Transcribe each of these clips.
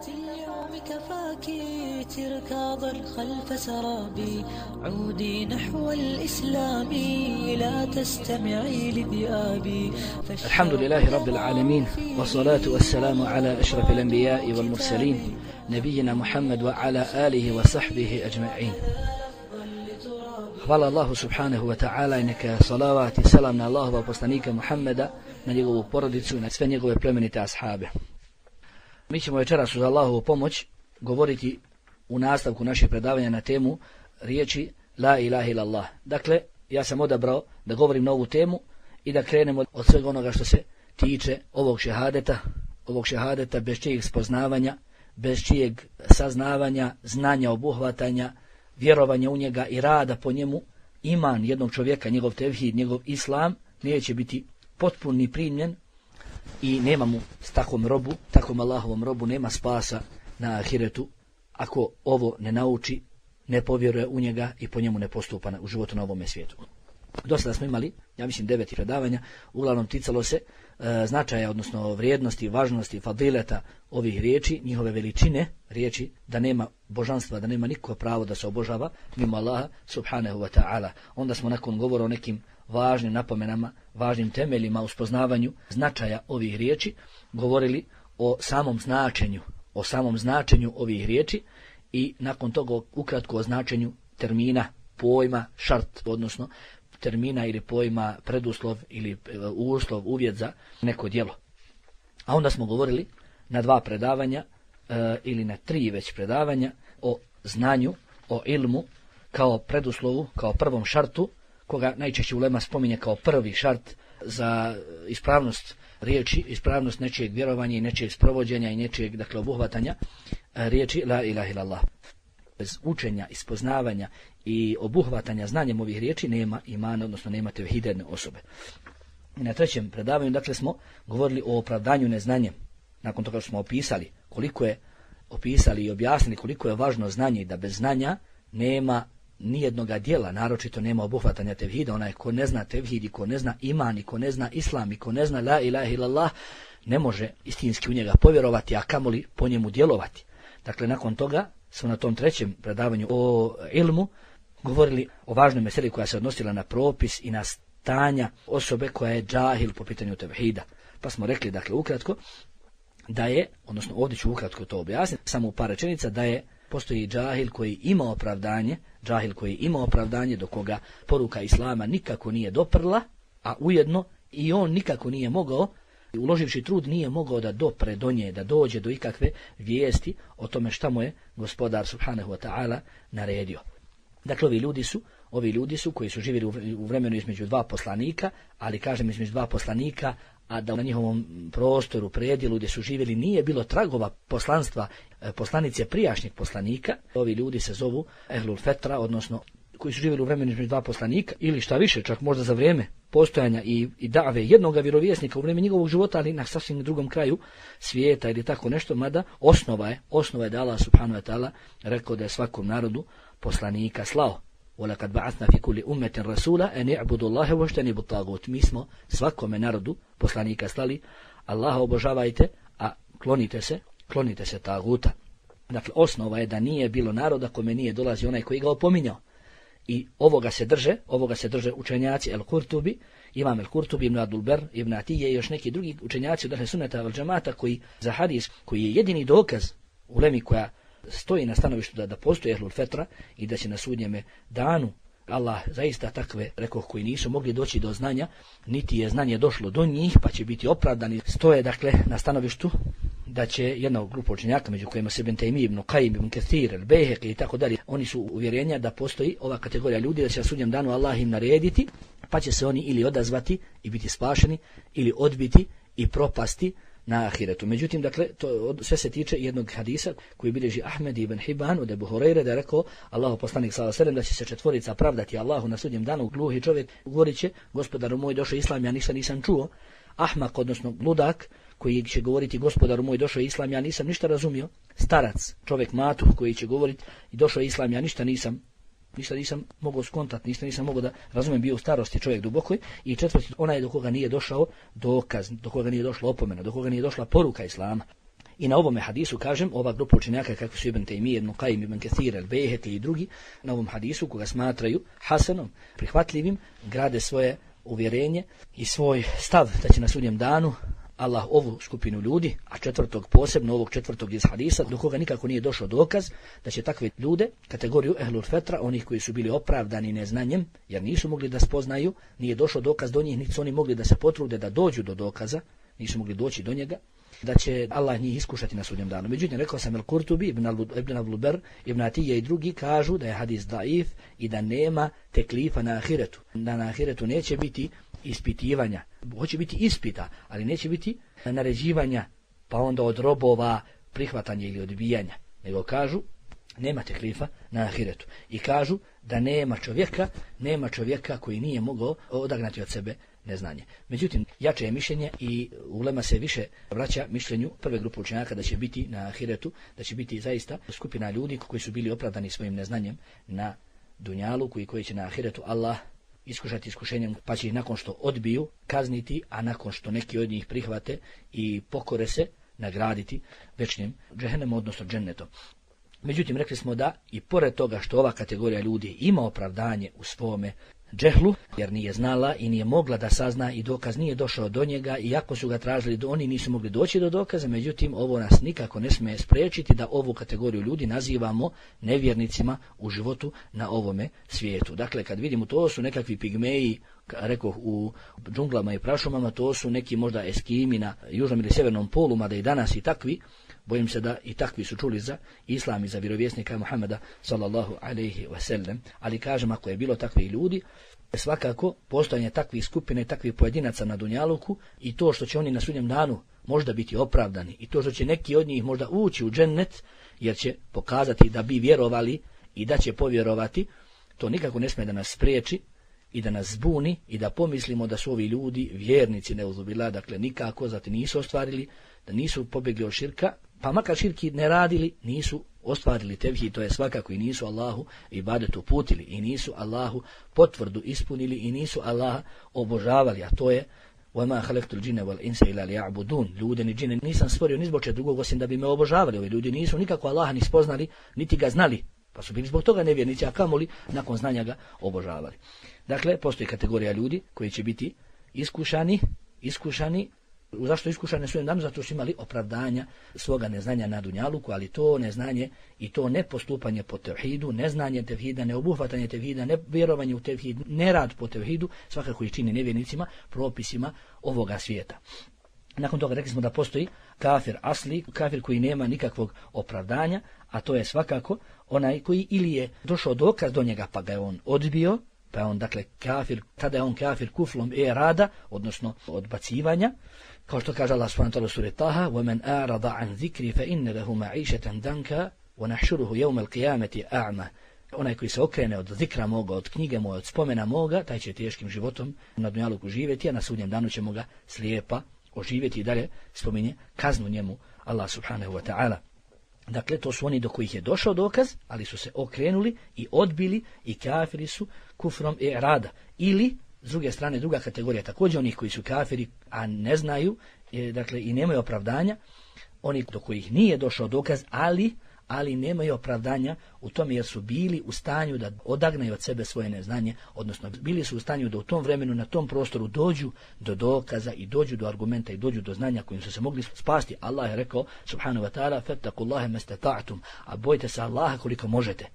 اليوم كفاك تركاضا خلف سرابي عودي نحو الإسلام لا تستمعي لذئابي. الحمد لله رب العالمين والصلاة والسلام على أشرف الأنبياء والمرسلين نبينا محمد وعلى آله وصحبه أجمعين. Hvala Allahu subhanahu wa ta'ala i neka salavat i salam na Allahova poslanika Muhammeda, na njegovu porodicu i na sve njegove plemenite ashabe. Mi ćemo večeras uz Allahovu pomoć govoriti u nastavku naših predavanja na temu riječi La ilaha illallah. Dakle, ja sam odabrao da govorim na ovu temu i da krenemo od svega onoga što se tiče ovog šehadeta bez čijeg spoznavanja, bez čijeg saznavanja, znanja, obuhvatanja, vjerovanja u njega i rada po njemu, iman jednog čovjeka, njegov tevhid, njegov islam, neće biti potpun ni primljen i nema mu s takvom Allahovom robu, nema spasa na ahiretu ako ovo ne nauči, ne povjeruje u njega i po njemu ne postupa u životu na ovome svijetu. Do sada smo imali, ja mislim, 9 predavanja, uglavnom ticalo se značaja, odnosno vrijednosti, važnosti, fadileta ovih riječi, njihove veličine, riječi da nema božanstva, da nema niko pravo da se obožava mimo Allaha subhanahu wa ta'ala. Onda smo nakon govora o nekim važnim napomenama, važnim temeljima u spoznavanju značaja ovih riječi govorili o samom značenju ovih riječi i nakon toga ukratko o značenju termina, pojma, šart, odnosno termina ili pojma preduslov ili uslov, uvjet za neko djelo. A onda smo govorili na 2 predavanja ili na 3 već predavanja o znanju, o ilmu kao preduslovu, kao prvom šartu, koga najčešće ulema spominje kao prvi šart za ispravnost riječi, ispravnost nečijeg vjerovanja i nečijeg sprovođenja i nečijeg, dakle, obuhvatanja riječi La ilaha illallah. Bez učenja, ispoznavanja i obuhvatanja znanjem ovih riječi nema imana, odnosno nema tevhiderne osobe. I na 3. predavanju, dakle, smo govorili o opravdanju neznanjem. Nakon toga što smo opisali i objasnili koliko je važno znanje i da bez znanja nema nijednoga djela, naročito nema obuhvatanja tevhida. Onaj ko ne zna tevhid i ko ne zna iman i ko ne zna islam i ko ne zna la ilaha illallah ne može istinski u njega povjerovati, a kamoli po njemu djelovati. Dakle, nakon toga smo na tom 3. predavanju o ilmu govorili o važnoj meseli koja se odnosila na propis i na stanja osobe koja je džahil po pitanju tevhida. Pa smo rekli, dakle, ukratko, da je, odnosno ovdje ću ukratko to objasniti, samo u par rečenica, da je postoji džahil koji ima opravdanje, do koga poruka islama nikako nije doprla, a ujedno i on nikako nije mogao, uloživši trud, nije mogao da dopre do nje, da dođe do ikakve vijesti o tome šta mu je gospodar subhanahu wa ta'ala naredio. Dakle, ovi ljudi su koji su živjeli u vremenu između 2 poslanika, ali kažem između 2 poslanika, a da na njihovom prostoru, predjelu gdje su živjeli nije bilo tragova poslanstva, poslanice prijašnjeg poslanika. Ovi ljudi se zovu ehlul fetra, odnosno koji su živjeli u vremenu između 2 poslanika, ili šta više, čak možda za vrijeme postojanja i dave jednoga vjerovjesnika u vrijeme njegovog života, ali na sasvim drugom kraju svijeta ili tako nešto, mada osnova je da Allah subhanahu wa ta'ala rekao da je svakom narodu poslanika slao. وَلَقَدْ بَعَثْنَا فِي كُلِّ أُمَّةٍ رَسُولًا أَنِ اعْبُدُوا اللَّهَ وَاجْتَنِبُوا الطَّاغُوتَ. Mi smo svakome narodu poslanika slali, Allaha obožavajte, a klonite se taguta. Dakle, osnova je da nije bilo naroda kome nije dolazi onaj koji ga opominjao. I ovoga se drže učenjaci El-Kurtubi, Imam El-Kurtubi, Ibn Abdul-Ber, Ibn Atije i još neki drugi učenjaci od Ahle Sunneta vel Džemata koji za hadis, koji je jedini dokaz u ulemi koja stoji na stanovištu da postoji ehlul fetra i da će na sudnjeme danu Allah zaista takve, rekoh, koji nisu mogli doći do znanja, niti je znanje došlo do njih, pa će biti opravdani. Stoje, dakle, na stanovištu da će jedna grupa učenjaka, među kojima se Ibn Taymi, Ibn Qayyim, Ibn Kathir, El-Bejhek i tako dalje, oni su uvjerenja da postoji ova kategorija ljudi, da će na sudnjem danu Allah im narediti, pa će se oni ili odazvati i biti spašeni, ili odbiti i propasti na ahiretu. Međutim, dakle, to sve se tiče jednog hadisa koji bilježi Ahmed ibn Hibban od Ebu Hurajre, da je rekao Allahu poslanik sallallahu alejhi ve sellem da će se 4 pravdati Allahu na sudnjem danu. Gluhi čovjek govorit će: gospodaru moj, došao islam, ja ništa nisam čuo. Ahmak, odnosno ludak, koji će govoriti: gospodaru moj, došao islam, ja nisam ništa razumio. Starac, čovjek matuh, koji će govoriti: došao islam, ja ništa nisam mogao skontati, ništa nisam mogao da razumijem, bio u starosti čovjek dubokoj. I 4, onaj do koga nije došao dokaz, do koga nije došla opomena, do koga nije došla poruka islama. I na ovome hadisu, kažem, ova grupa učenjaka kako su Ibn Taymije, Ibn Qayyim, Ibn Kathir, Al-Bayhaqi i drugi, na ovom hadisu koga smatraju hasanom, prihvatljivim, grade svoje uvjerenje i svoj stav da će na sudnjem danu Allah ovu skupinu ljudi, a četvrtog posebno, ovog četvrtog iz hadisa, do koga nikako nije došao dokaz, da će takve ljude, kategoriju ehlul fetra, onih koji su bili opravdani neznanjem, jer nisu mogli da spoznaju, nije došao dokaz do njih, niti su oni mogli da se potrude da dođu do dokaza, nisu mogli doći do njega, da će Allah njih iskušati na sudnjem danu. Međutim, rekao sam Al-Kurtubi, Ibn Abdul Ber, Ibn Atije i drugi kažu da je hadis daif i da nema teklifa na ahiretu. Da na ahiretu neće biti ispitivanja. Hoće biti ispita, ali neće biti naređivanja, pa onda od robova prihvatanja ili odbijanja. Nego kažu, nema teklifa na ahiretu. I kažu da nema čovjeka koji nije mogao odagnati od sebe neznanje. Međutim, jače je mišljenje i ulema se više vraća mišljenju prve grupe učenjaka da će biti na ahiretu, da će biti zaista skupina ljudi koji su bili opravdani svojim neznanjem na dunjaluku i koji će na ahiretu Allah iskušati iskušenjem, pa će ih nakon što odbiju kazniti, a nakon što neki od njih prihvate i pokore se nagraditi večnim džehennemom, odnosno džennetom. Međutim, rekli smo da i pored toga što ova kategorija ljudi ima opravdanje u svome džehlu, jer nije znala i nije mogla da sazna i dokaz nije došao do njega, iako su ga tražili, oni nisu mogli doći do dokaza, međutim ovo nas nikako ne smije spriječiti da ovu kategoriju ljudi nazivamo nevjernicima u životu na ovome svijetu. Dakle, kad vidimo to su nekakvi pigmeji, rekoh u džunglama i prašumama, to su neki možda eskimi na južnom ili sjevernom polu, mada i danas i takvi, bojim se da i takvi su čuli za islam i za vjerovjesnika Muhameda sallallahu alejhi ve sellem, ali kažem, ako je bilo takvih ljudi, svakako postojanje takvih skupina i takvih pojedinaca na dunjaluku i to što će oni na sudnjem danu možda biti opravdani i to što će neki od njih možda ući u džennet, jer će pokazati da bi vjerovali i da će povjerovati, to nikako ne smije da nas spriječi i da nas zbuni i da pomislimo da su ovi ljudi vjernici neuzubila, dakle nikako, zato nisu ostvarili, da nisu pobjegli od širka, pa makar širki ne radili, nisu ostvarili tevhid, to je svakako, i nisu Allahu ibadet uputili, i nisu Allahu potvrdu ispunili, i nisu Allaha obožavali, a to je وَمَا خَلَقْتُ الْجِنَّ وَالْإِنسَ إِلَّا لِيَعْبُدُونَ. Ljude ni džine nisam stvorio ni zbog čega drugog osim da bi me obožavali. Ovi ljudi nisu nikako Allaha ni spoznali, niti ga znali, pa su bili zbog toga nevjernici, a kamoli nakon znanja ga obožavali. Dakle, postoji kategorija ljudi koji će biti iskušani. Zašto iskušani su danu? Zato što imali opravdanja svoga neznanja na dunjaluku, ali to neznanje i to nepostupanje po tevhidu, neznanje tevhida, neobuhvatanje tevhida, nevjerovanje u tevhid, nerad po tevhidu, svakako ih čini nevjernicima, propisima ovoga svijeta. Nakon toga rekli smo da postoji kafir asli, kafir koji nema nikakvog opravdanja, a to je svakako onaj koji ili je došao dokaz do njega pa ga je on odbio, pa je on dakle kafir, tada je on kafir kuflom rada, odnosno odbacivanja, kao što kaže Allah subhanahu wa ta'ala u suri Taha: وَمَنْ أَعْرَضَ عَنْ ذِكْرِ فَإِنَّ لَهُ مَعِيشَةً دَنْكَ وَنَحْشُرُهُ يَوْمَ الْقِيَامَةِ أَعْمَى. Onaj koji se okrene od zikra moga, od knjige moje, od spomena moga, taj će teškim životom na dunjaluku živjeti, a na sudnjem danu ćemo ga slijepa oživjeti. I dalje spominje kaznu njemu Allah subhanahu wa ta'ala. Dakle, to su oni do kojih je došao dokaz, ali su se okrenuli i odbili i kafiri su kufrom rada. Ili, s druge strane, druga kategorija, također onih koji su kafiri, a ne znaju, dakle, i nemaju opravdanja, oni do kojih nije došao dokaz, ali nemaju opravdanja u tome jer su bili u stanju da odagnaju od sebe svoje neznanje, odnosno bili su u stanju da u tom vremenu, na tom prostoru dođu do dokaza i dođu do argumenta i dođu do znanja kojim su se mogli spasti. Allah je rekao, subhanahu wa ta'ala: fattakullaha mastata'tum, a bojte se Allaha koliko možete.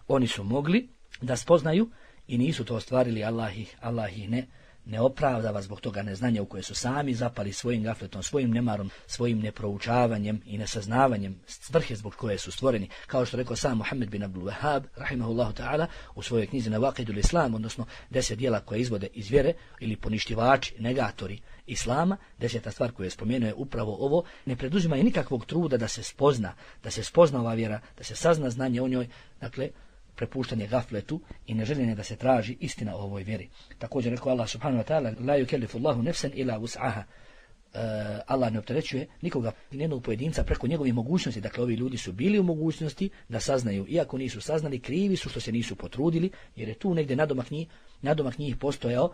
Oni su mogli da spoznaju i nisu to ostvarili, Allah ih ne opravdava zbog toga neznanja u koje su sami zapali svojim gafletom, svojim nemarom, svojim neproučavanjem i nesaznavanjem svrhe zbog koje su stvoreni. Kao što rekao sam Muhammed bin Abdul Wahhab, rahimahullahu ta'ala, u svojoj knjizi Nawaqidul Islam, odnosno 10 djela koje izvode iz vjere ili poništivači, negatori Islama, 10. stvar koju je spomenuo je upravo ovo: ne preduzimaju nikakvog truda da se spozna ova vjera, da se sazna znanje o njoj, dakle, prepuštanje gafletu i neželjenje da se traži istina o ovoj vjeri. Također rekao Allah subhanahu wa ta'ala: la yukellifu Allahu nafsan illa wus'aha. Allah ne opterećuje nikoga, nijednog pojedinca preko njegovih mogućnosti. Dakle, ovi ljudi su bili u mogućnosti da saznaju, iako nisu saznali, krivi su što se nisu potrudili, jer je tu negdje nadomak njih postojao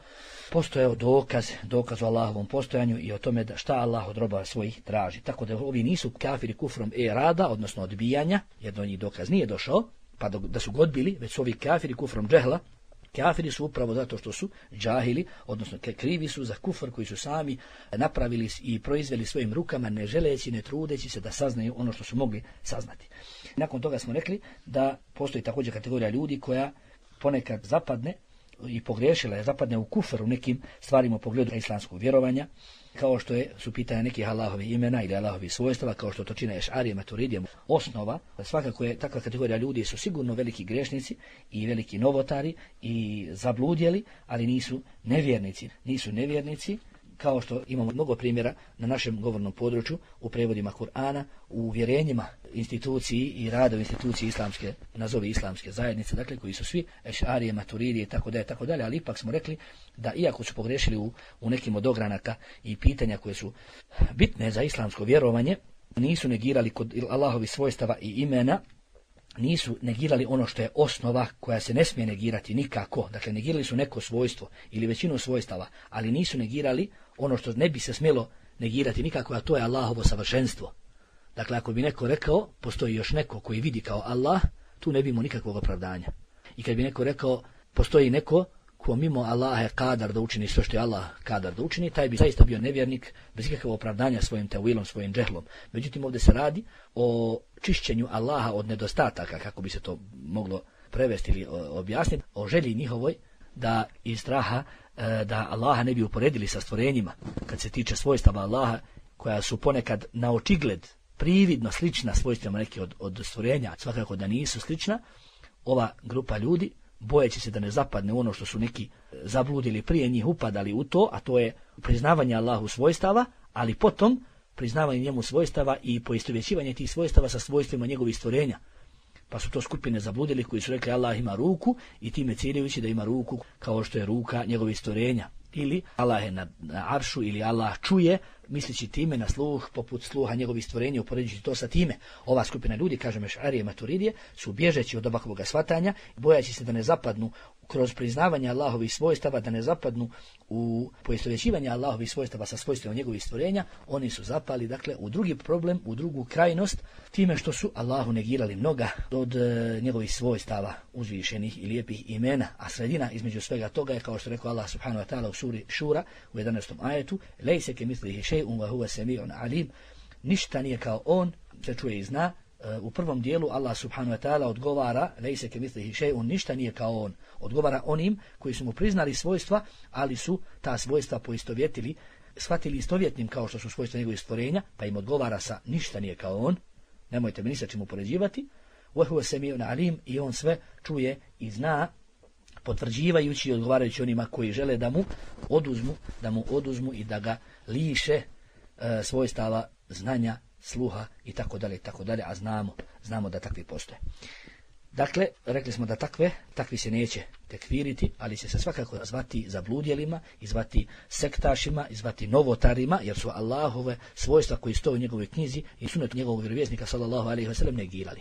dokaz o Allahovom postojanju i o tome da šta Allah od roba svojih traži. Tako da ovi nisu kafiri kufrom rada, odnosno odbijanja, jer do njih dokaz nije došao, pa da su ga odbili, već su ovi kafiri kufrom džehla. Kafiri su upravo zato što su džahili, odnosno krivi su za kufr koji su sami napravili i proizveli svojim rukama, ne želeći, ne trudeći se da saznaju ono što su mogli saznati. Nakon toga smo rekli da postoji također kategorija ljudi koja ponekad zapadne i pogriješila je, zapadne u kufr u nekim stvarima u pogledu islamskog vjerovanja, kao što su pitanja nekih Allahovi imena ili Allahovi svojstava, kao što to čine Ešarije, Maturidije. Osnova, svakako je takva kategorija ljudi su sigurno veliki grešnici i veliki novotari i zabludjeli, ali nisu nevjernici, kao što imamo mnogo primjera na našem govornom području u prevodima Kur'ana, u uvjerenjima instituciji i rada u instituciji islamske, nazovi islamske zajednice, dakle koji su svi Ešarije, Maturidije tako dalje, ali ipak smo rekli da iako su pogrešili u nekim od ogranaka i pitanja koje su bitne za islamsko vjerovanje, nisu negirali kod Allahovi svojstava i imena, nisu negirali ono što je osnova koja se ne smije negirati nikako. Dakle, negirali su neko svojstvo ili većinu svojstava, ali nisu negirali ono što ne bi se smjelo negirati nikako, a to je Allahovo savršenstvo. Dakle, ako bi neko rekao, postoji još neko koji vidi kao Allah, tu ne bi imao nikakvog opravdanja. I kad bi neko rekao, postoji neko ko mimo Allaha je kadar da učini sve što je Allah kadar da učini, taj bi zaista bio nevjernik bez ikakvog opravdanja svojim tevilom, svojim džehlom. Međutim, ovdje se radi o čišćenju Allaha od nedostataka, kako bi se to moglo prevesti ili objasniti, o želji njihovoj da iz straha da Allaha ne bi uporedili sa stvorenjima, kad se tiče svojstava Allaha, koja su ponekad na očigled prividno slična svojstvima neki od stvorenja, svakako da nisu slična, ova grupa ljudi, bojeći se da ne zapadne ono što su neki zabludili prije njih upadali u to, a to je priznavanje Allahu svojstava, ali potom priznavanje njemu svojstava i poistovjećivanje tih svojstava sa svojstvima njegovih stvorenja. Pa su to skupine zabludili koji su rekli Allah ima ruku i time ciljajući da ima ruku kao što je ruka njegovih stvorenja. Ili Allah je na aršu, ili Allah čuje, misleći time na sluh poput sluha njegovih stvorenja, upoređujući to sa time. Ova skupina ljudi, kažem Ešarije, Maturidije, su bježeći od ovakvog shvatanja, bojaći se da ne zapadnu kroz priznavanje Allahovih svojstava, da ne zapadnu u poistovjećivanje Allahovih svojstava sa svojstvima njegovih stvorenja, oni su zapali, dakle, u drugi problem, u drugu krajnost, time što su Allahu negirali mnoga od njegovih svojstava uzvišenih i lijepih imena, a sredina između svega toga je, kao što rekao Allah subhanahu wa ta'ala u suri Šura u 11. ajetu, lejse ke mislihi šej'un wa huwa semi'un alim, ništa nije kao on, se čuje i zna. U prvom dijelu Allah subhanahu wa ta'ala odgovara lejse ke mislihi šej'un, ništa nije kao on, odgovara onim koji su mu priznali svojstva, ali su ta svojstva poistovjetili, shvatili istovjetnim kao što su svojstva njegovih stvorenja, pa im odgovara sa ništa nije kao on, nemojte me ni sa čim upoređivati, wa huwa semi'un alim, i on sve čuje i zna, potvrđivajući i odgovarajući onima koji žele da mu oduzmu i da ga liše svojstava znanja, sluha i tako dalje, a znamo da takvi postoje. Dakle, rekli smo da takvi se neće tekfiriti, ali će se svakako zvati zabludjelima, i zvati sektašima, i zvati novotarima, jer su Allahove svojstva koji stoje u njegovoj knjizi i sunet njegovog vjerovjesnika sallallahu alejhi ve sellem negirali.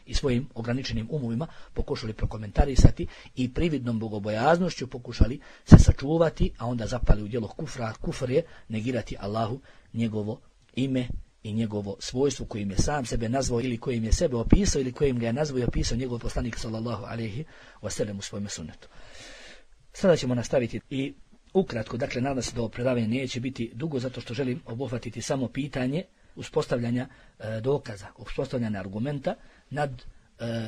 I svojim ograničenim umovima pokušali prokomentarisati i prividnom bogobojaznošću pokušali se sačuvati, a onda zapali u djelo kufra. Kufr je negirati Allahu njegovo ime i njegovo svojstvo kojim je sam sebe nazvao ili kojim je sebe opisao ili kojim ga je nazvao i opisao njegov poslanik sallallahu alejhi ve sellem u svojom sunnetu. Sada ćemo nastaviti i ukratko, dakle, nadam se da ovo predavanje neće biti dugo, zato što želim obuhvatiti samo pitanje uspostavljanja dokaza, uspostavljanja argumenta nad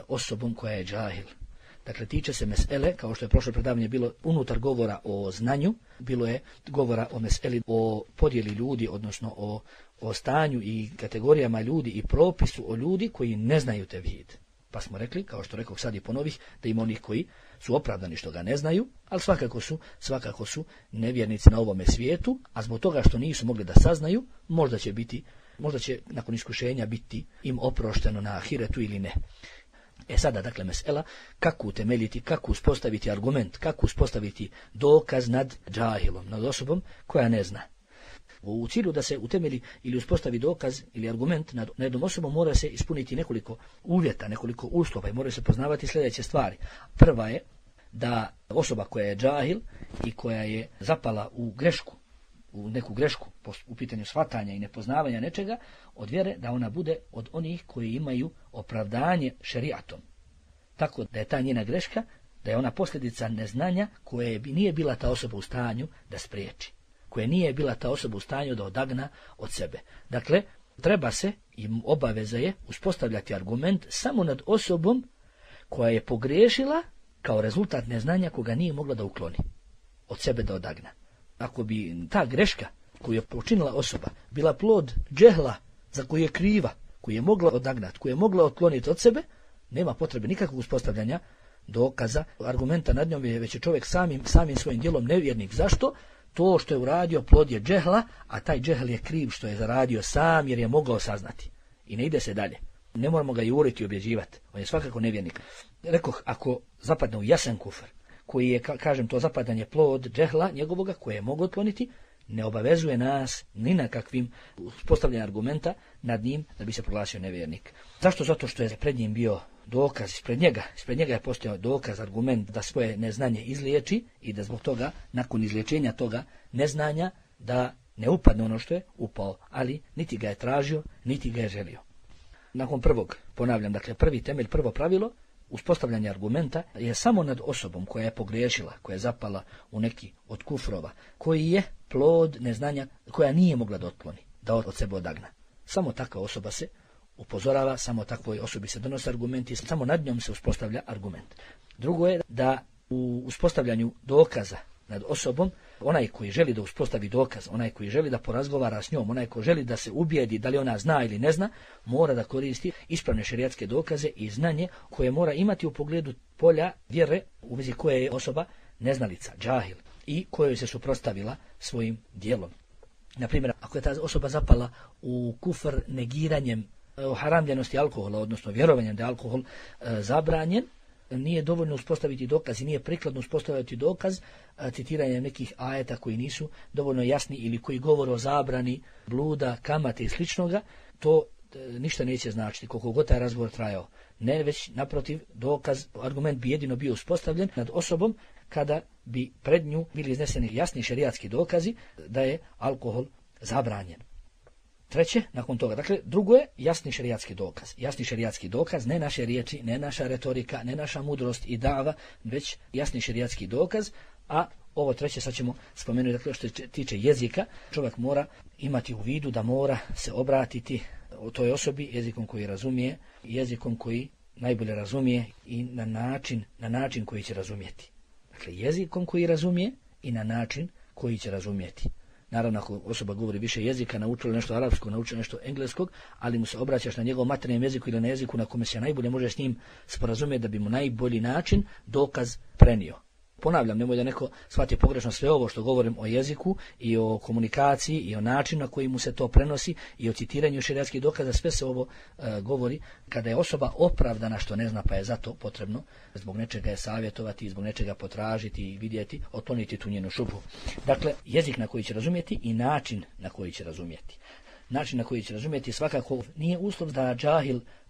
osobom koja je džahil. Dakle, tiče se mesele, kao što je prošlo predavanje bilo unutar govora o znanju, bilo je govora o meseli, o podjeli ljudi, odnosno o stanju i kategorijama ljudi i propisu o ljudi koji ne znaju tevhid. Pa smo rekli, kao što rekao sad i ponovih, da ima onih koji su opravdani što ga ne znaju, ali svakako su nevjernici na ovome svijetu, a zbog toga što nisu mogli da saznaju, možda će nakon iskušenja biti im oprošteno na ahiretu ili ne. Sada, dakle, mesela, kako utemeljiti, kako uspostaviti argument, kako uspostaviti dokaz nad džahilom, nad osobom koja ne zna. U cilju da se utemelji ili uspostavi dokaz ili argument nad jednom osobom mora se ispuniti nekoliko uvjeta, nekoliko uslova i mora se poznavati sljedeće stvari. Prva je da osoba koja je džahil i koja je zapala u grešku, u neku grešku u pitanju shvatanja i nepoznavanja nečega od vjere, da ona bude od onih koji imaju opravdanje šerijatom. Tako da je ta njena greška, da je ona posljedica neznanja koje nije bila ta osoba u stanju da spriječi, koje nije bila ta osoba u stanju da odagna od sebe. Dakle, treba se i obaveza je uspostavljati argument samo nad osobom koja je pogriješila kao rezultat neznanja koga nije mogla da ukloni, od sebe da odagna. Ako bi ta greška koju je počinila osoba bila plod džehla za koju je kriva, koju je mogla odagnati, koju je mogla otkloniti od sebe, nema potrebe nikakvog uspostavljanja dokaza, argumenta nad njom, već je čovjek samim svojim djelom nevjernik. Zašto? To što je uradio plod je džehla, a taj džehl je kriv što je zaradio sam jer je mogao saznati. I ne ide se dalje. Ne moramo ga juriti i objeđivati. On je svakako nevjernik. Rekoh, ako zapadne u jasan kufr, koji je, kažem, to zapadanje plod džehla njegovoga, koje je mogu otkloniti, ne obavezuje nas ni na kakvim uspostavljanjem argumenta nad njim da bi se proglasio nevjernik. Zašto? Zato što je pred njim bio dokaz, ispred njega je postojao dokaz, argument da svoje neznanje izliječi i da zbog toga, nakon izliječenja toga neznanja, da ne upadne ono što je upao, ali niti ga je tražio, niti ga je želio. Nakon prvog, ponavljam, dakle prvi temelj, prvo pravilo, uspostavljanje argumenta je samo nad osobom koja je pogriješila, koja je zapala u neki od kufrova, koji je plod neznanja, koja nije mogla da otkloni, da od sebe odagna. Samo takva osoba se upozorava, samo takvoj osobi se donose argumenti, samo nad njom se uspostavlja argument. Drugo je da u uspostavljanju dokaza nad osobom, onaj koji želi da uspostavi dokaz, onaj koji želi da porazgovara s njom, onaj koji želi da se ubijedi da li ona zna ili ne zna, mora da koristi ispravne šerijatske dokaze i znanje koje mora imati u pogledu polja vjere u vezi koje je osoba neznalica, džahil, i kojoj se suprotstavila svojim djelom. Na primjer, ako je ta osoba zapala u kufr negiranjem haramljenosti alkohola, odnosno vjerovanjem da je alkohol zabranjen, nije dovoljno uspostaviti dokaz i nije prikladno uspostaviti dokaz citiranjem nekih ajeta koji nisu dovoljno jasni ili koji govore o zabrani bluda, kamate i sličnoga, to ništa neće značiti koliko god taj razgovor trajao. Ne, već naprotiv, dokaz, argument bi jedino bio uspostavljen nad osobom kada bi pred nju bili izneseni jasni šerijatski dokazi da je alkohol zabranjen. Treće, nakon toga, dakle, drugo je jasni šerijatski dokaz. Jasni šerijatski dokaz, ne naše riječi, ne naša retorika, ne naša mudrost i dava, već jasni šerijatski dokaz, a ovo treće sad ćemo spomenuti, dakle, što se tiče jezika, čovjek mora imati u vidu da mora se obratiti o toj osobi jezikom koji razumije, jezikom koji najbolje razumije i na način koji će razumjeti. Dakle, jezikom koji razumije i na način koji će razumjeti. Naravno, ako osoba govori više jezika, naučila nešto arapskog, naučila nešto engleskog, ali mu se obraćaš na njegovom materijalnom jeziku ili na jeziku na kome se najbolje može s njim sporazumjeti da bi mu najbolji način dokaz prenio. Ponavljam, nemoj da neko shvati pogrešno sve ovo što govorim o jeziku i o komunikaciji i o načinu na koji mu se to prenosi i o citiranju šerijatskih dokaza, sve se ovo govori kada je osoba opravdana što ne zna, pa je zato potrebno zbog nečega je savjetovati, zbog nečega potražiti i vidjeti, otkloniti tu njenu šubhu. Dakle, jezik na koji će razumjeti i način na koji će razumjeti. Način na koji će razumjeti svakako nije uslov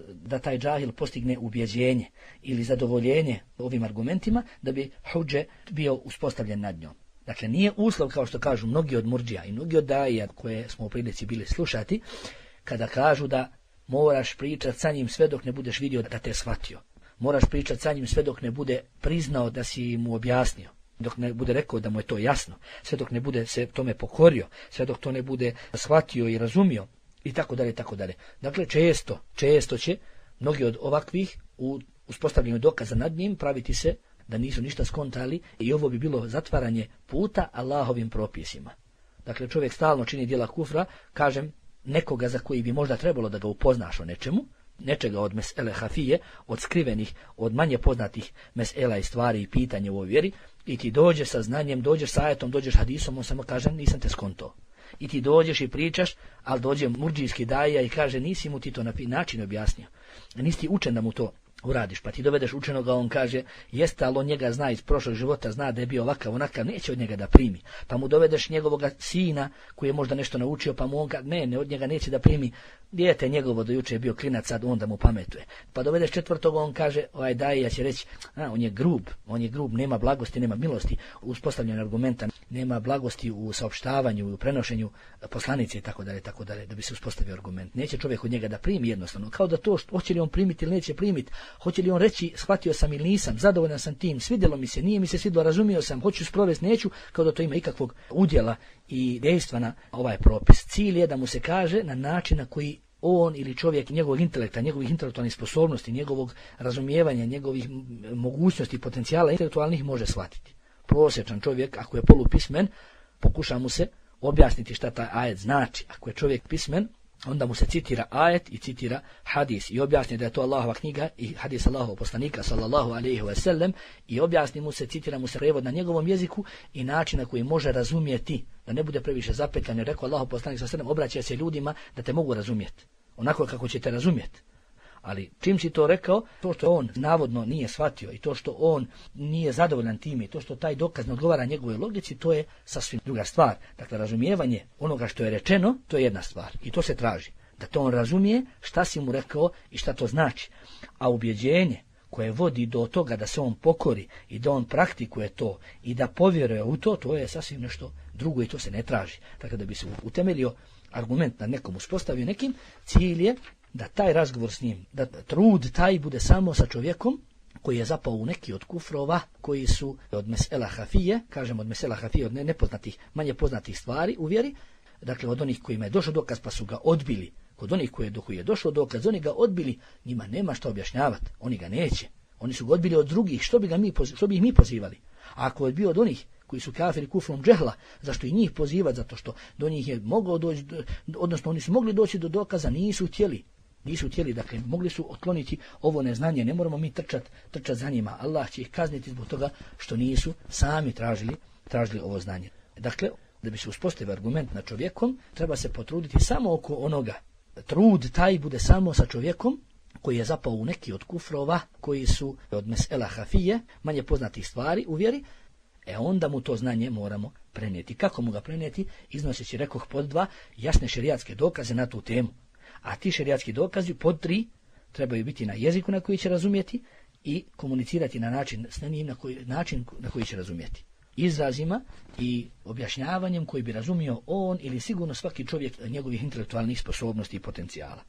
da taj džahil postigne ubjeđenje ili zadovoljenje ovim argumentima da bi hudže bio uspostavljen nad njom. Dakle, nije uslov, kao što kažu mnogi od murdžija i mnogi od daija koje smo u prilici bili slušati, kada kažu da moraš pričati sa njim sve dok ne budeš vidio da te shvatio. Moraš pričati sa njim sve dok ne bude priznao da si mu objasnio. Dok ne bude rekao da mu je to jasno, sve dok ne bude se tome pokorio, sve dok to ne bude shvatio i razumio i tako dalje, tako dalje. Dakle, često će mnogi od ovakvih u uspostavljanju dokaza nad njim praviti se da nisu ništa skontali i ovo bi bilo zatvaranje puta Allahovim propisima. Dakle, čovjek stalno čini djela kufra, kažem, nekoga za koji bi možda trebalo da ga upoznaš o nečemu, nečega od mesele hafije, od skrivenih, od manje poznatih mesela i stvari i pitanja u ovoj vjeri, i ti dođeš sa znanjem, dođeš sa ajetom, dođeš hadisom, on samo kaže nisam te skonto. I ti dođeš i pričaš, ali dođe murdžijski daja i kaže nisi mu ti to na način objasnio. Nisi ti učen da mu to uradiš, pa ti dovedeš učenoga, on kaže jeste, ali on njega zna iz prošlog života, zna da je bio ovakav, onakav, neće od njega da primi. Pa mu dovedeš njegovog sina koji je možda nešto naučio, pa mu on kaže ne, od njega neće da primi. Dijete njegovo do juče je bio klinac, sad onda mu pametuje. Pa dovedeš četvrtog, on kaže daija će reći on je grub, nema blagosti, nema milosti u uspostavljanju argumenta, nema blagosti u saopštavanju, u prenošenju poslanice i tako dalje, da bi se uspostavio argument. Neće čovjek od njega da primi jednostavno, kao da to hoće li on primiti ili neće primiti, hoće li on reći shvatio sam ili nisam, zadovoljan sam tim, svidjelo mi se, nije mi se svidjelo, razumio sam, hoću sprovesti, neću, kao da to ima ikakvog udjela i dejstva na ovaj propis. Cilj je da mu se kaže na način na koji on ili čovjek njegovog intelekta, njegovih intelektualnih sposobnosti, njegovog razumijevanja, njegovih mogućnosti, potencijala intelektualnih može shvatiti. Prosječan čovjek, ako je polupismen, pokuša mu se objasniti šta taj ajet znači. Ako je čovjek pismen, onda mu se citira ajet i citira hadis i objasni da je to Allahova knjiga i hadis Allahovog poslanika sallallahu alejhi ve sellem i objasni mu se, citira mu se prevod na njegovom jeziku i način na koji može razumjeti, da ne bude previše zapetljan. Rekao Allahov poslanik sallallahu alejhi ve sellem, obraća se ljudima da te mogu razumjeti, onako kako ćete razumjeti. Ali čim si to rekao, to što on navodno nije shvatio i to što on nije zadovoljan time i to što taj dokaz ne odgovara njegovoj logici, to je sasvim druga stvar. Dakle, razumijevanje onoga što je rečeno, to je jedna stvar i to se traži. Da to on razumije šta si mu rekao i šta to znači. A ubjeđenje koje vodi do toga da se on pokori i da on praktikuje to i da povjeruje u to, to je sasvim nešto drugo i to se ne traži. Dakle, da bi se utemeljio argument na nekom, uspostavio nekim, cilj je da taj razgovor s njim, da trud taj bude samo sa čovjekom koji je zapao u neki od kufrova koji su od mesela hafije, kažemo od mesela hafije, od nepoznatih, manje poznatih stvari u vjeri, dakle od onih kojima je došao dokaz pa su ga odbili, kod onih koji je došao dokaz, oni ga odbili, njima nema šta objašnjavati, oni ga neće, oni su ga odbili od drugih, što bi ih mi pozivali? A ako je bio od onih koji su kafiri kufrom džehla, zašto i njih pozivati? Zato što do njih je mogao doći, odnosno oni su mogli doći do dokaza, nisu htjeli, dakle mogli su otkloniti ovo neznanje, ne moramo mi trčati za njima, Allah će ih kazniti zbog toga što nisu sami tražili ovo znanje. Dakle, da bi se uspostavio argument na čovjekom, treba se potruditi samo oko onoga, trud taj bude samo sa čovjekom koji je zapao u neki od kufrova koji su od mesela hafije, manje poznatih stvari u vjeri, onda mu to znanje moramo prenijeti. Kako mu ga prenijeti? Iznoseći, rekoh, pod 2 jasne šerijatske dokaze na tu temu. A ti šerijatski dokazi pod 3 trebaju biti na jeziku na koji će razumjeti i komunicirati na način s njim na koji će razumjeti. Izrazima i objašnjavanjem koji bi razumio on ili sigurno svaki čovjek njegovih intelektualnih sposobnosti i potencijala.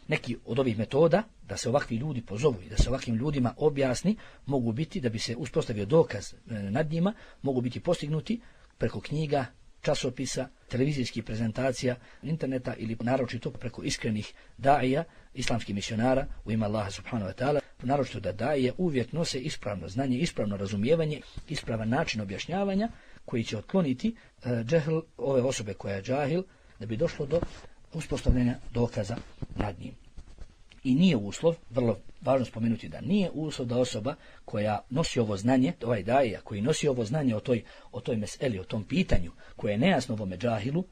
Neki od ovih metoda da se ovakvi ljudi pozovu i da se ovakvim ljudima objasni mogu biti, da bi se uspostavio dokaz nad njima, mogu biti postignuti preko knjiga, časopisa, televizijskih prezentacija, interneta ili naročito preko iskrenih daija, islamskih misionara u ime Allaha subhanahu wa ta'ala, naročito da daije uvijek nose ispravno znanje, ispravno razumijevanje, ispravan način objašnjavanja koji će otkloniti džehl ove osobe koja je džahil, da bi došlo do uspostavljanja dokaza nad njim. I nije uslov, vrlo važno spomenuti da nije uslov da osoba koja nosi ovo znanje, ovaj daija koji nosi ovo znanje o toj meseli, o tom pitanju koje je nejasno ovome džahilu,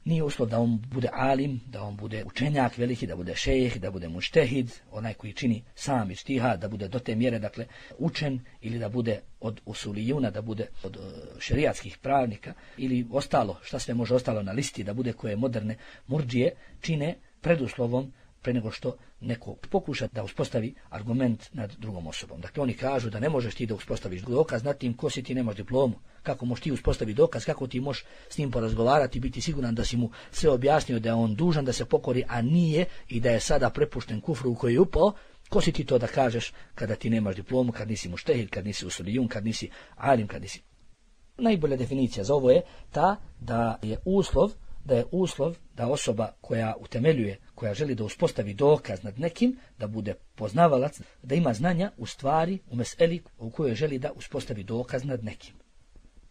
nije uslov da on bude alim, da on bude učenjak veliki, da bude šejh, da bude muštehid, onaj koji čini sam ištihad, da bude do te mjere, dakle, učen ili da bude od usulijuna, da bude od šerijatskih pravnika ili ostalo, šta sve može ostalo na listi, da bude koje moderne murdžije čine preduslovom pre nego što neko pokuša da uspostavi argument nad drugom osobom. Dakle, oni kažu da ne možeš ti da uspostaviš dokaz nad tim ko si, ti nemaš diplomu. Kako možeš ti uspostaviti dokaz, kako ti možeš s njim porazgovarati, biti siguran da si mu sve objasnio, da je on dužan da se pokori, a nije i da je sada prepušten kufru u koji je upao. Ko si ti to da kažeš kada ti nemaš diplomu, kad nisi muštehid, kad nisi usulijun, kad nisi alim, kad nisi... Najbolja definicija za ovo je ta da je uslov da osoba koja utemeljuje, koja želi da uspostavi dokaz nad nekim, da bude poznavalac, da ima znanja u stvari, u meseli u kojoj želi da uspostavi dokaz nad nekim.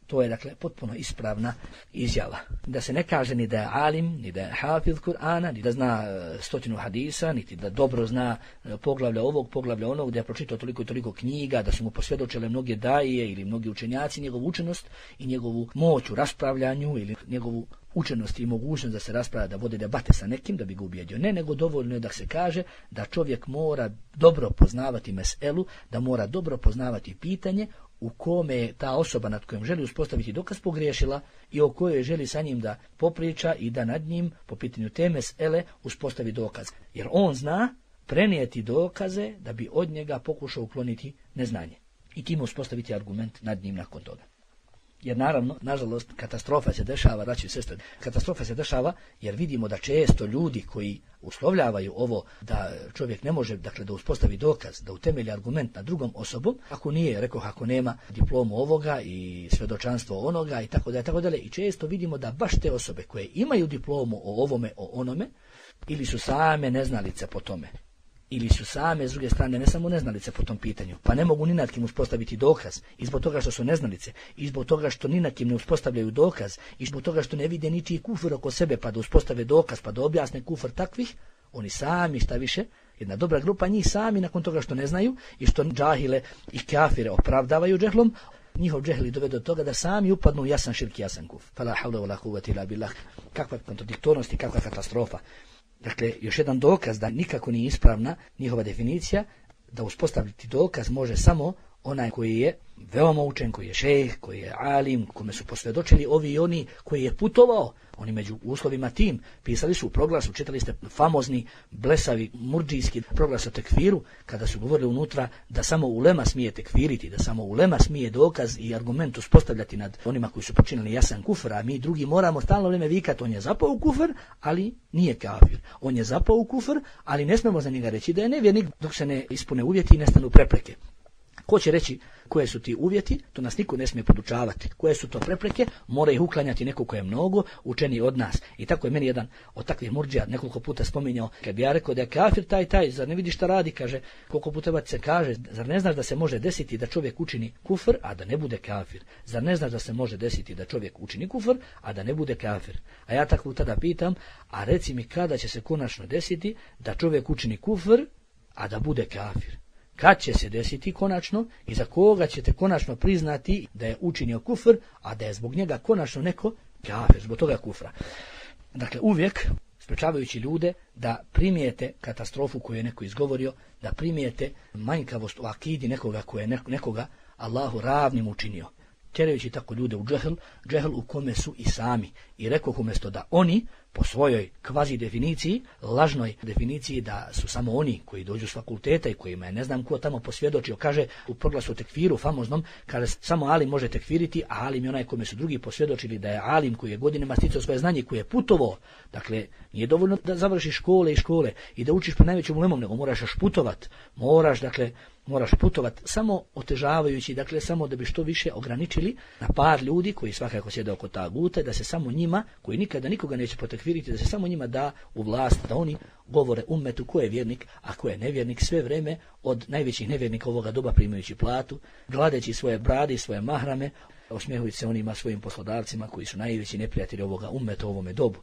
To je, dakle, potpuno ispravna izjava. Da se ne kaže ni da je alim, ni da je hafiz Kur'ana, ni da zna 100 hadisa, niti da dobro zna poglavlja ovog, poglavlja onog, da je pročitao toliko i toliko knjiga, da su mu posvjedočile mnoge daije ili mnogi učenjaci, njegovu učenost i njegovu moć u raspravljanju ili njegovu učenosti i mogućnost da se raspravlja, da vode debate sa nekim da bi ga ubijedio. Ne, nego dovoljno je da se kaže da čovjek mora dobro poznavati meselu, da mora dobro poznavati pitanje u kome je ta osoba nad kojom želi uspostaviti dokaz pogriješila i o kojoj želi sa njim da popriča i da nad njim po pitanju te mesele uspostavi dokaz. Jer on zna prenijeti dokaze da bi od njega pokušao ukloniti neznanje i time uspostaviti argument nad njim nakon toga. Jer naravno, nažalost, katastrofa se dešava, braćo i sestre, katastrofa se dešava jer vidimo da često ljudi koji uslovljavaju ovo da čovjek ne može, dakle, da uspostavi dokaz, da utemelji argument nad drugom osobom, ako nije, rekoh, ako nema diplomu ovoga i svjedočanstvo onoga i tako dalje, i često vidimo da baš te osobe koje imaju diplomu o ovome, o onome, ili su same neznalice po tome, ili su same, s druge strane, ne samo neznalice po tom pitanju, pa ne mogu ni nad kim uspostaviti dokaz, i zbog toga što su neznalice, i zbog toga što ni nad kim ne uspostavljaju dokaz, i zbog toga što ne vide ničiji kufr oko sebe, pa da uspostave dokaz, pa da objasne kufr takvih, oni sami, šta više, jedna dobra grupa njih sami, nakon toga što ne znaju, i što džahile i kafire opravdavaju džehlom, njihov džehli dovede do toga da sami upadnu u jasan širk, jasan kufr. Fala havla wala kuvvete illa billah. Kakva kontradiktornost i kakva katastrofa. Dakle, još jedan dokaz da nikako nije ispravna njihova definicija, da uspostaviti dokaz može samo onaj koji je veoma učen, koji je šejh, koji je alim, kome su posvjedočili ovi i oni, koji je putovao. Oni među uslovima tim pisali su u proglasu, čitali ste famozni, blesavi, murdžijski proglas o tekfiru, kada su govorili unutra da samo ulema smije tekfiriti, da samo ulema smije dokaz i argument uspostavljati nad onima koji su počinili jasan kufr, a mi drugi moramo stalno vrijeme vikati, on je zapao u kufr, ali nije kafir. On je zapao u kufr, ali ne smemo za njega reći da je nevjernik dok se ne ispune uvjeti i nestanu prepreke. Ko će reći koje su ti uvjeti, to nas niko ne smije podučavati. Koje su to prepreke, mora ih uklanjati neko ko je mnogo učeniji od nas. I tako je meni jedan od takvih murdžija nekoliko puta spominjao, kad bi ja rekao da je kafir taj, zar ne vidiš šta radi, kaže, koliko puta se kaže, zar ne znaš da se može desiti da čovjek učini kufr, a da ne bude kafir? Zar ne znaš da se može desiti da čovjek učini kufr, a da ne bude kafir? A ja tako tada pitam, a reci mi kada će se konačno desiti da čovjek učini kufr, a da bude kafir? Kad će se desiti konačno i za koga ćete konačno priznati da je učinio kufr, a da je zbog njega konačno neko kafir, zbog toga kufra. Dakle, uvijek sprečavajući ljude da primijete katastrofu koju je neko izgovorio, da primijete manjkavost u akidi nekoga koje je nekoga Allahu ravnim učinio. Tjerajući tako ljude u džehl u kome su i sami. I rekoh umjesto da oni po svojoj kvazi definiciji, lažnoj definiciji da su samo oni koji dođu s fakulteta i kojima je ne znam ko tamo posvjedočio, kaže u proglasu tekfiru famoznom, kada samo alim može tekfiriti, a alim je onaj kome su drugi posvjedočili da je alim koji je godinama sticao svoje znanje, koji je putovao. Dakle, nije dovoljno da završiš škole i da učiš pred najvećom ulemom, nego moraš još putovat. Moraš putovat samo otežavajući, dakle samo da bi što više ograničili na par ljudi koji svakako sjede oko taguta, da se samo njima, koji nikada nikoga neće potekfiriti, da se samo njima da u vlast, da oni govore ummetu ko je vjernik, a ko je nevjernik, sve vrijeme od najvećih nevjernika ovoga doba primajući platu, gladeći svoje brade i svoje mahrame, osmijehujući se onima svojim poslodavcima koji su najveći neprijatelji ovoga ummeta u ovome dobu.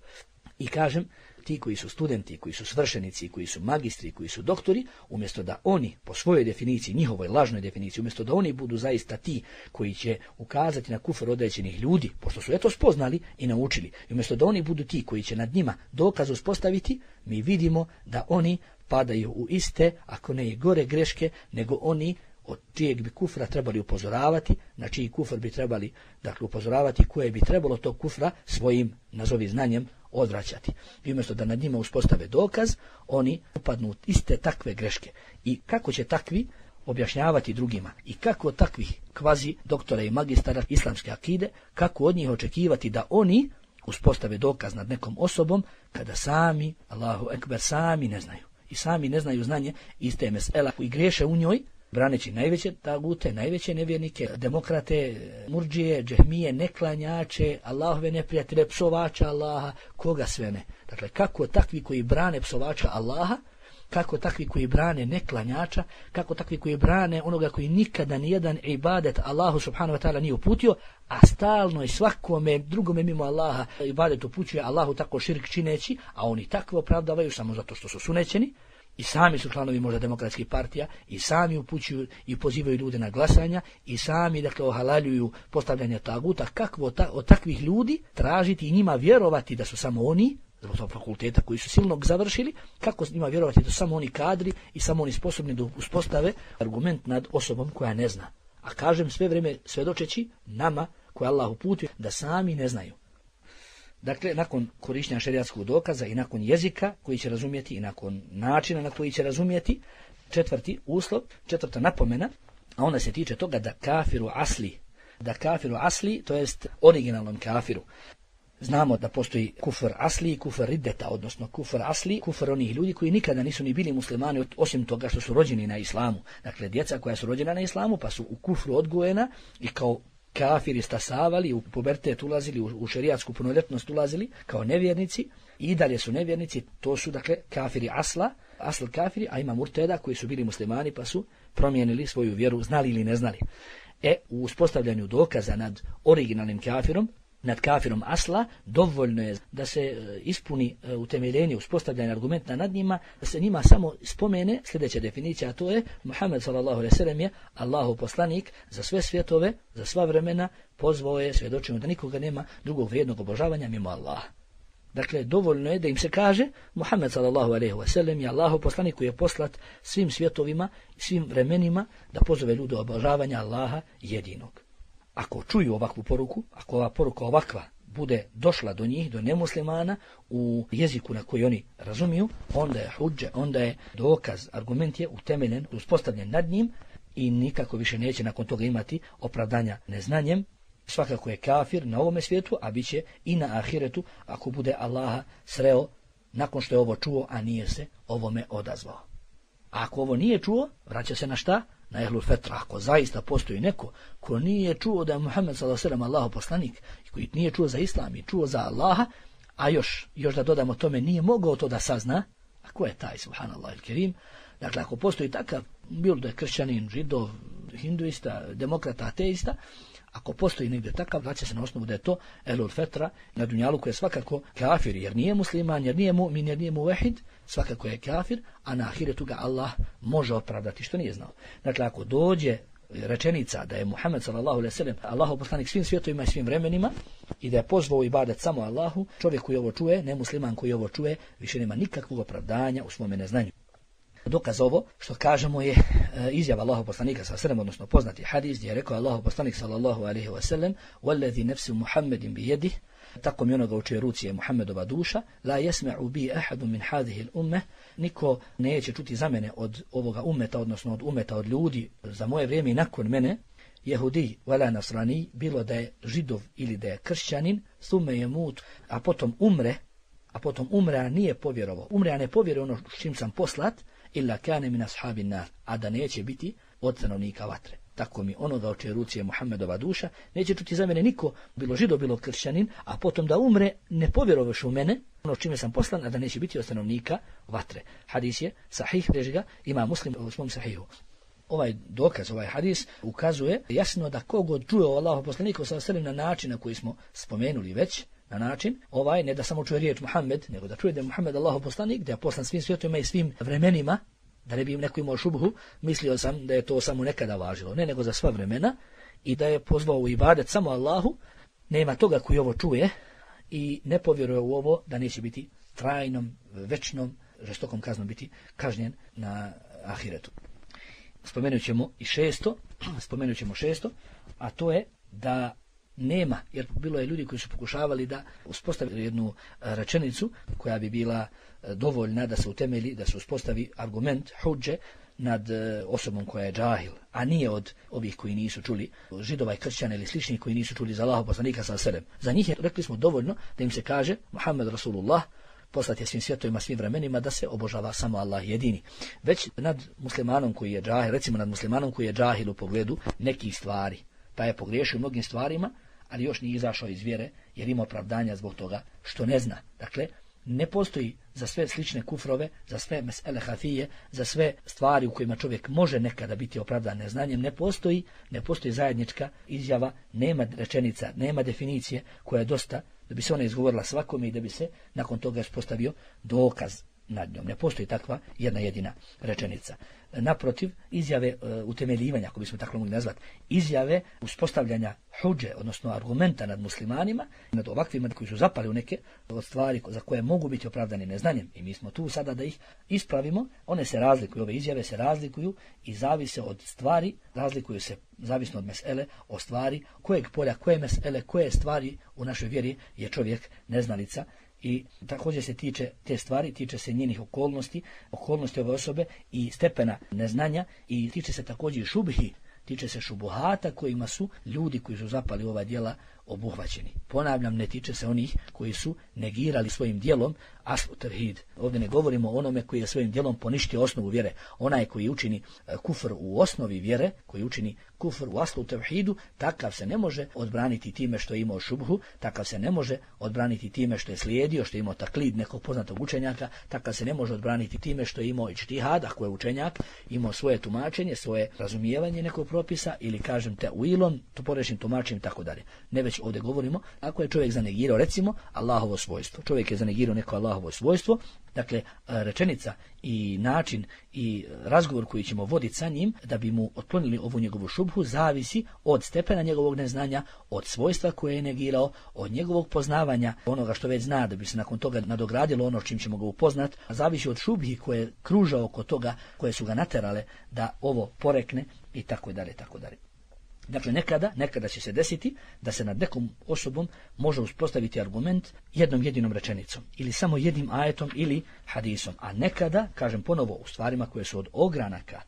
I kažem, ti koji su studenti, koji su svršenici, koji su magistri, koji su doktori, umjesto da oni po svojoj definiciji, njihovoj lažnoj definiciji, umjesto da oni budu zaista ti koji će ukazati na kufr određenih ljudi, pošto su eto spoznali i naučili, i umjesto da oni budu ti koji će nad njima dokaz uspostaviti, mi vidimo da oni padaju u iste, ako ne i gore greške, nego oni od čijeg bi kufra trebali upozoravati, na čiji kufr bi trebali upozoravati, koje bi trebalo tog kufra svojim, nazovi znanjem, odvraćati. I umjesto da nad njima uspostave dokaz, oni upadnu u iste takve greške. I kako će takvi objašnjavati drugima i kako takvih kvazi doktora i magistara islamske akide, kako od njih očekivati da oni uspostave dokaz nad nekom osobom kada sami, Allahu ekber, sami ne znaju. I sami ne znaju znanje iste mesela i griješe u njoj, braneći najveće tagute, najveće nevjernike, demokrate, murdžije, džehmije, neklanjače, Allahove neprijatelje, psovača Allaha, koga sve ne. Dakle, kako takvi koji brane psovača Allaha, kako takvi koji brane neklanjača, kako takvi koji brane onoga koji nikada nijedan ibadet Allahu subhanahu wa ta'ala nije uputio, a stalno i svakome drugome mimo Allaha ibadet upućuje Allahu tako širk čineći, a oni takvo opravdavaju samo zato što su sunećeni, i sami su članovi možda demokratskih partija, i sami upućuju i pozivaju ljude na glasanja, i sami dakle ohalaljuju postavljanje taguta. Kakvo od takvih ljudi tražiti i njima vjerovati da su samo oni, zbog tog fakulteta koji su silnog završili, kako njima vjerovati da su samo oni kadri i samo oni sposobni da uspostave argument nad osobom koja ne zna. A kažem sve vrijeme svjedočeći nama koje Allah uputio da sami ne znaju. Dakle, nakon korištenja šerijatskog dokaza i nakon jezika koji će razumjeti i nakon načina na koji će razumjeti, četvrti uslov, četvrta napomena, a ona se tiče toga da kafiru asli, to jest originalnom kafiru. Znamo da postoji kufr asli i kufr riddeta, odnosno kufr asli, kufr onih ljudi koji nikada nisu ni bili muslimani osim toga što su rođeni na islamu. Dakle, djeca koja su rođena na islamu pa su u kufru odgojena i kao kafiri stasavali, u pubertet ulazili, u šerijatsku punoljetnost ulazili kao nevjernici i dalje su nevjernici. To su dakle kafiri asl kafiri, a ima murteda koji su bili muslimani pa su promijenili svoju vjeru, znali ili ne znali. U uspostavljanju dokaza nad originalnim kafirom, nad kafirom asla, dovoljno je da se ispuni utemeljenje, uspostavljanje argumenta nad njima, da se njima samo spomene sljedeća definicija, a to je Muhammed sallallahu alejhi ve sellem je Allahov poslanik za sve svjetove, za sva vremena, pozvao je, svjedočimo da nikoga nema drugog vrijednog obožavanja mimo Allaha. Dakle, dovoljno je da im se kaže Muhammed sallallahu alejhi ve sellem je Allahov poslanik koji je poslat svim svjetovima i svim vremenima da pozove ljude obožavanja Allaha jedinog. Ako čuju ovakvu poruku, ako ova poruka ovakva bude došla do njih, do nemuslimana, u jeziku na koji oni razumiju, onda je hudže, onda je dokaz, argument je utemeljen, uspostavljen nad njim i nikako više neće nakon toga imati opravdanja neznanjem. Svakako je kafir na ovome svijetu, a bit će i na ahiretu ako bude Allaha sreo nakon što je ovo čuo, a nije se ovome odazvao. A ako ovo nije čuo, vraća se na šta? Na ehlul fetra. Ako zaista postoji neko ko nije čuo da je Muhammed sallallahu alejhi ve sellem Allahov poslanik i koji nije čuo za islam i čuo za Allaha, a još da dodamo tome nije mogao to da sazna, a ko je taj, subhanallah il kerim? Dakle, ako postoji takav, bilo da je kršćanin, židov, hinduista, demokrata, ateista, ako postoji negdje takav, vraća se na osnovu da je to ehlul fetra na dunjalu koji je svakako kafir, jer nije musliman, jer nije mu'min, jer nije muvehid, svakako je kafir, a na ahiretu ga Allah može opravdati što nije znao. Dakle, ako dođe rečenica da je Muhammed sallallahu alejhi ve sellem Allahov poslanik svim svjetovima i svim vremenima i da je pozvao ibadet samo Allahu, čovjek koji ovo čuje, nemusliman koji ovo čuje, više nema nikakvog opravdanja u svome neznanju. Dokaz ovo što kažemo je izjava Allahov poslanika sallallahu alejhi ve sellem, odnosno poznati hadis gdje je rekao Allahov poslanik sallallahu alejhi ve sellem: "Wallazi nafsu Muhammedin bi yadihi", tako mi onoga u čijoj ruci je Muhammedova duša, "la yasma'u bi ahadun min hadhihi al-ummah", niko neće čuti za mene od ovoga ummeta, odnosno od ummeta od ljudi za moje vrijeme i nakon mene, jehudi wala nasrani, bilo da je židov ili da je kršćanin, thumma yamut, a potom umre, a nije povjerovao. Umre, a ne povjeruje ono s čim sam poslat, illa kane min ashabin nar, a da neće biti od stanovnika vatre. Tako mi onoga u čijoj ruci je Muhammedova duša, neće čuti za mene niko, bilo židov, bilo kršćanin, a potom da umre, ne povjerovaš u mene, ono s čime sam poslan, a da neće biti od stanovnika vatre. Hadis je sahih, reži ga ima Muslim u svom sahihu. Ovaj dokaz, ovaj hadis ukazuje jasno da kogod čuje o Allahu poslaniku sallallahu alejhi ve sellem na način na koji smo spomenuli već, na način, ne da samo čuje riječ Muhammed, nego da čuje da je Muhammed Allahov poslanik, da je poslan svim svijetovima i svim vremenima, da ne bi im neko imao šubhu, mislio sam da je to samo nekada važilo, ne nego za sva vremena, i da je pozvao u ibadet samo Allahu, nema toga koji ovo čuje i ne povjeruje u ovo da neće biti trajnom, večnom, žestokom kaznom biti kažnjen na ahiretu. Spomenut ćemo šesto, a to je da nema, jer bilo je ljudi koji su pokušavali da uspostavi jednu rečenicu koja bi bila dovoljna da se utemelji, da se uspostavi argument, hudže, nad osobom koja je džahil, a nije od ovih koji nisu čuli, židova i kršćana ili sličnih koji nisu čuli za Allahov poslanika sallallahu alejhi ve sellem. Za njih je, rekli smo, dovoljno da im se kaže Muhammed Rasulullah, poslat je svim svjetovima, svim vremenima, da se obožava samo Allah jedini. Već nad muslimanom koji je džahil, recimo nad muslimanom koji je džahil u pogledu nekih stvari, pa je pogriješio mnogim stvarima, ali još nije izašao iz vjere jer ima opravdanja zbog toga što ne zna. Dakle, ne postoji za sve slične kufrove, za sve mesele hafije, za sve stvari u kojima čovjek može nekada biti opravdan neznanjem, ne postoji zajednička izjava, nema rečenica, nema definicije koja je dosta da bi se ona izgovorila svakome i da bi se nakon toga uspostavio dokaz. nad njom. Ne postoji takva jedna jedina rečenica. Naprotiv, izjave utemeljivanja, ako bismo tako mogli nazvati, izjave uspostavljanja hudže, odnosno argumenta nad muslimanima, nad ovakvima koji su zapali u neke od stvari za koje mogu biti opravdani neznanjem, i mi smo tu sada da ih ispravimo, one se razlikuju, ove izjave se razlikuju i zavise od stvari, razlikuju se zavisno od mesele, o stvari, kojeg polja, koje mesele, koje stvari u našoj vjeri je čovjek neznalica. I također se tiče te stvari, tiče se njenih okolnosti ove osobe i stepena neznanja, i tiče se također šubhi, tiče se šubuhata kojima su ljudi koji su zapali ova djela obuhvaćeni. Ponavljam, ne tiče se onih koji su negirali svojim djelom aslu tevhid. Ovdje ne govorimo o onome koji je svojim djelom poništio osnovu vjere. Onaj koji učini kufr u osnovi vjere, koji učini kufr u aslu tevhidu, takav se ne može odbraniti time što je imao šubhu, takav se ne može odbraniti time što je slijedio, što je imao taklid nekog poznatog učenjaka, takav se ne može odbraniti time što je imao ičtihad, ako je učenjak, imao svoje tumačenje, svoje razumijevanje nekog propisa, ili kažem te uilom, to porečnim tumačenjem, tako dalje. Ne, već ovdje govorimo, ako je čovjek zanegirao, recimo, Allahovo svojstvo. Čovjek je zanegirao neko Allahovo svojstvo, dakle, rečenica i način i razgovor koji ćemo voditi sa njim, da bi mu otklonili ovu njegovu šubhu, zavisi od stepena njegovog neznanja, od svojstva koje je negirao, od njegovog poznavanja onoga što već zna, da bi se nakon toga nadogradilo ono čim ćemo ga upoznat, zavisi od šubhi koje kruža oko toga, koje su ga naterale da ovo porekne, i tako dalje, tako dalje. Dakle, nekada će se desiti da se nad nekom osobom može uspostaviti argument jednom jedinom rečenicom, ili samo jednim ajetom ili hadisom, a nekada, kažem ponovo, u stvarima koje su od ogranaka,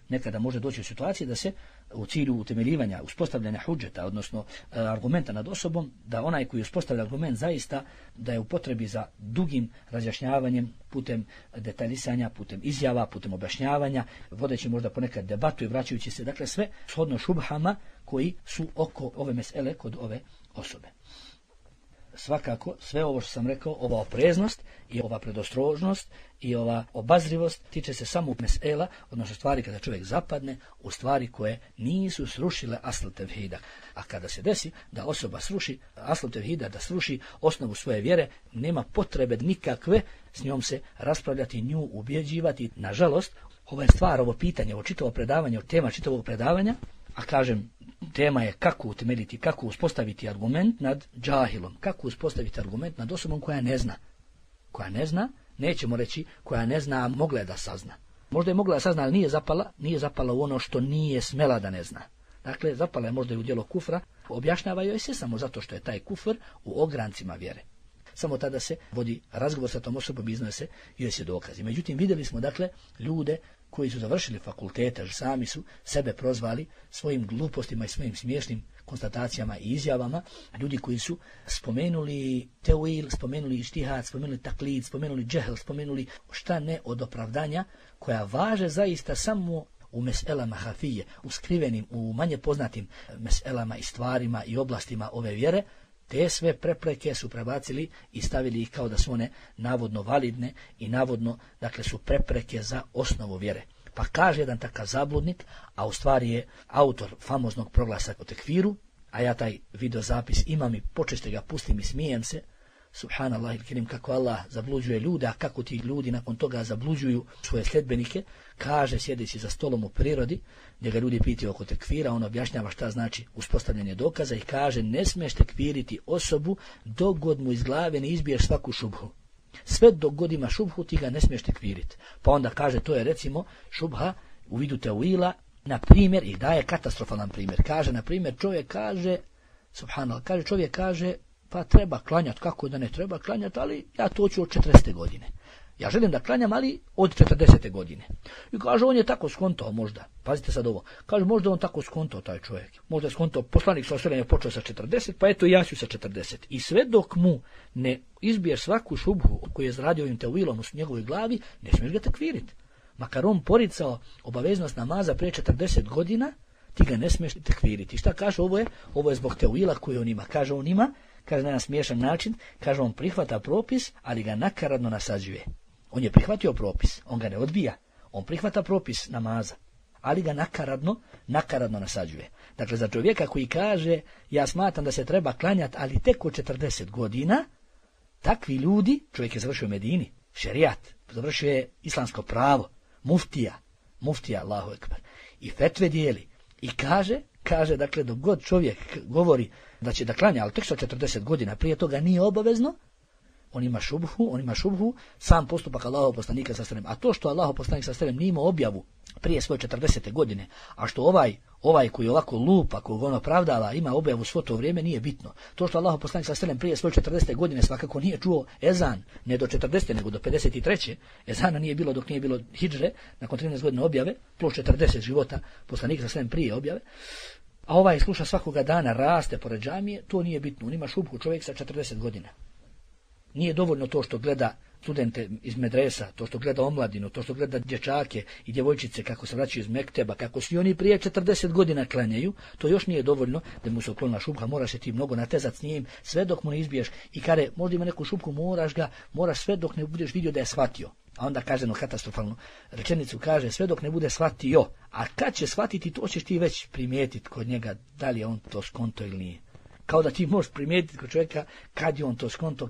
nekada može doći u situaciji da se u cilju utemeljivanja, uspostavljanja hudžeta, odnosno argumenta nad osobom, da onaj koji uspostavlja argument zaista da je u potrebi za dugim razjašnjavanjem, putem detaljisanja, putem izjava, putem objašnjavanja, vodeći možda ponekad debatu i vraćajući se, dakle, sve shodno šubhama koji su oko ove mesele kod ove osobe. Svakako, sve ovo što sam rekao, ova opreznost i ova predostrožnost i ova obazrivost tiče se samo mesela, odnosno stvari kada čovjek zapadne u stvari koje nisu srušile asl tevhida. A kada se desi da osoba sruši asl tevhida, da sruši osnovu svoje vjere, nema potrebe nikakve s njom se raspravljati, nju ubjeđivati. Nažalost, ova je stvar, ovo pitanje, ovo čitavo predavanje, tema čitavog predavanja, a kažem, tema je kako utemeljiti, kako uspostaviti argument nad džahilom, kako uspostaviti argument nad osobom koja ne zna. Koja ne zna, nećemo reći koja ne zna, a mogla je da sazna. Možda je mogla da sazna, ali nije zapala u ono što nije smela da ne zna. Dakle, zapala je možda i u djelo kufra, objašnjava joj se samo zato što je taj kufr u ograncima vjere. Samo tada se vodi razgovor sa tom osobom, iznose joj se dokazi. Međutim, vidjeli smo, dakle, ljude koji su završili fakultete, sami su sebe prozvali svojim glupostima i svojim smiješnim konstatacijama i izjavama, ljudi koji su spomenuli teuil, spomenuli ištihad, spomenuli taklid, spomenuli džehl, spomenuli šta ne od opravdanja koja važe zaista samo u meselama hafije, u skrivenim, u manje poznatim meselama i stvarima i oblastima ove vjere. Te sve prepreke su prebacili i stavili ih kao da su one navodno validne i navodno, dakle, su prepreke za osnovu vjere. Pa kaže jedan takav zabludnik, a u stvari je autor famoznog proglasa o tekfiru, a ja taj videozapis imam i počesto ga pustim i smijem se, subhanallah il kerim, kako Allah zabluđuje ljude, a kako ti ljudi nakon toga zabluđuju svoje sledbenike, kaže, sjedeći za stolom u prirodi, gdje ga ljudi pitaju oko tekfira, on objašnjava šta znači uspostavljanje dokaza i kaže, ne smiješ tekfiriti osobu dok god mu iz glave ne izbiješ svaku šubhu. Sve dok god ima šubhu, ti ga ne smiješ tekfiriti. Pa onda kaže, to je recimo šubha u vidu teuila, na primjer, i daje katastrofalan primjer. Kaže, na primjer, čovjek kaže, pa treba klanjati, kako da ne treba klanjati, ali ja to ću od 40. godine. Ja želim da klanjam, ali od 40. godine. I kaže, on je tako skontao možda. Pazite sad ovo. Kaže, možda on tako skontao taj čovjek. Možda je skontao, poslanik sa osvijetljenja počeo sa 40, pa eto ja ću sa 40. I sve dok mu ne izbiješ svaku šubhu koju je zaradio ovim teuilom u njegovoj glavi, ne smiješ ga tekviriti. Makar on poricao obaveznost namaza prije 40 godina, ti ga ne smiješ tekviriti. Šta kaže, ovo je zbog teuila koji on ima. Kaže, on ima, kaže na jedan smiješan način, kaže, on prihvata propis, ali ga nakaradno nasađuje. On je prihvatio propis, on ga ne odbija, on prihvata propis namaza, ali ga nakaradno nasađuje. Dakle, za čovjeka koji kaže, ja smatram da se treba klanjati, ali tek od 40 godina, takvi ljudi, čovjek je završio u Medini, šerijat, završio je islamsko pravo, muftija, Allahu ekber, i fetve dijeli, i kaže, dakle, dok god čovjek govori da će da klanja, ali tek sa 40 godina, prije toga nije obavezno, on ima šubhu, sam postupak Allahov poslanika sa sallam. A to što Allahov poslanik sa sallam nije imao objavu prije svoje 40. godine, a što ovaj koji ovako lupa, koga on opravdava, ima objavu svo to vrijeme, nije bitno. To što Allahov poslanik sa sallam prije svoje 40. godine svakako nije čuo ezan, ne do 40. nego do 53. Ezana nije bilo dok nije bilo hidžre, nakon 13 godina objave, plus 40 života poslanika sa sallam prije objave. A ovaj sluša svakoga dana, raste pored džamije, to nije bitno. On ima šubhu, čovjek sa 40 godina. Nije dovoljno to što gleda studente iz medresa, to što gleda omladinu, to što gleda dječake i djevojčice kako se vraćaju iz mekteba, kako svi oni prije 40 godina klanjaju, to još nije dovoljno da mu se uklonila šubha, moraš se ti mnogo natezat s njim, sve dok mu ne izbiješ i kada možda ima neku šubku, moraš sve dok ne budeš vidio da je shvatio. A onda kaže jednu katastrofalnu rečenicu, kaže sve dok ne bude shvatio, a kad će shvatiti to ćeš ti već primijetiti kod njega da li je on to skonto ili nije. Kao da ti možeš primijetiti kod čovjeka kad je on to skonto,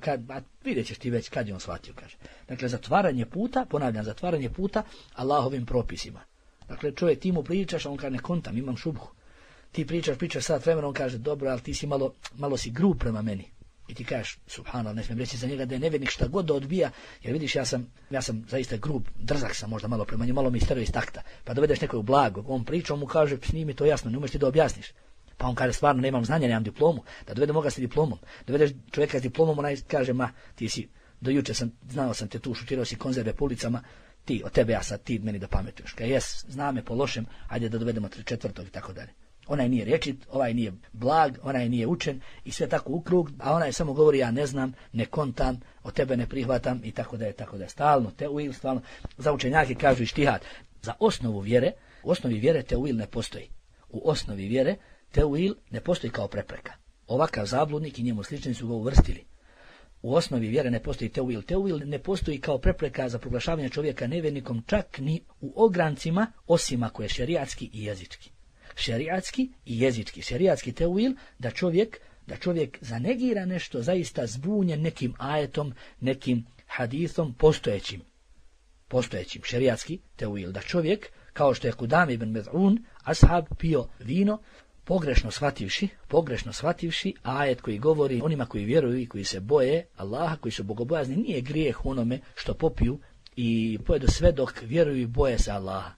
vidjet ćeš ti već kad je on shvatio, kaže. Dakle, zatvaranje puta Allahovim propisima. Dakle, čovjek ti mu pričaš, a on kaže ne kontam, imam šubhu. Ti pričaš sad vremena, on kaže dobro, ali ti si malo si grub prema meni. I ti kažeš, subhanallah, ne smijem reći za njega da je nevjernik šta god da odbija, jer vidiš ja sam zaista grub, drzak sam možda malo prema njemu, malo mi stereo iz takta. Pa dovedeš nekog blagog, on priča, on mu kaže, nije mi to jasno, ne umeš ti da objasniš. Pa on kaže, stvarno nemam znanja, nemam diplomu, da dovedemo ga s diplomom. Dovedeš čovjeka s diplomom, onaj kaže, ti si, do juče znao sam te tu, šutirao si konzerve po ulicama, ti, od tebe ja sad, ti meni da pametuješ. Kaj jes, zna me po lošem, ajde da dovedemo 3/4 i tako dalje. Onaj nije rječit, ovaj nije blag, onaj nije učen i sve tako u krug, a onaj samo govori ja ne znam, ne kontam, od tebe ne prihvatam i tako da je. Stalno teuil, stalno. Za učenjake kažu ištihad. Za osnovu vjere teuil ne postoji. U osnovi vjere teuil ne postoji kao prepreka. Ovakav zabludnik i njemu slični su ga uvrstili. U osnovi vjere ne postoji teuil. Teuil ne postoji kao prepreka za proglašavanje čovjeka nevjernikom čak ni u ograncima, osim ako je šerijatski i jezički. Šerijatski teuil da čovjek zanegira nešto zaista zbunjen nekim ajetom, nekim hadithom postojećim šerijatski teuil. Da čovjek, kao što je Kudame ibn Med'un, ashab pio vino, pogrešno shvativši ajet koji govori onima koji vjeruju i koji se boje Allaha, koji su bogobojazni, nije grijeh onome što popiju i pojedu sve dok vjeruju i boje se Allaha.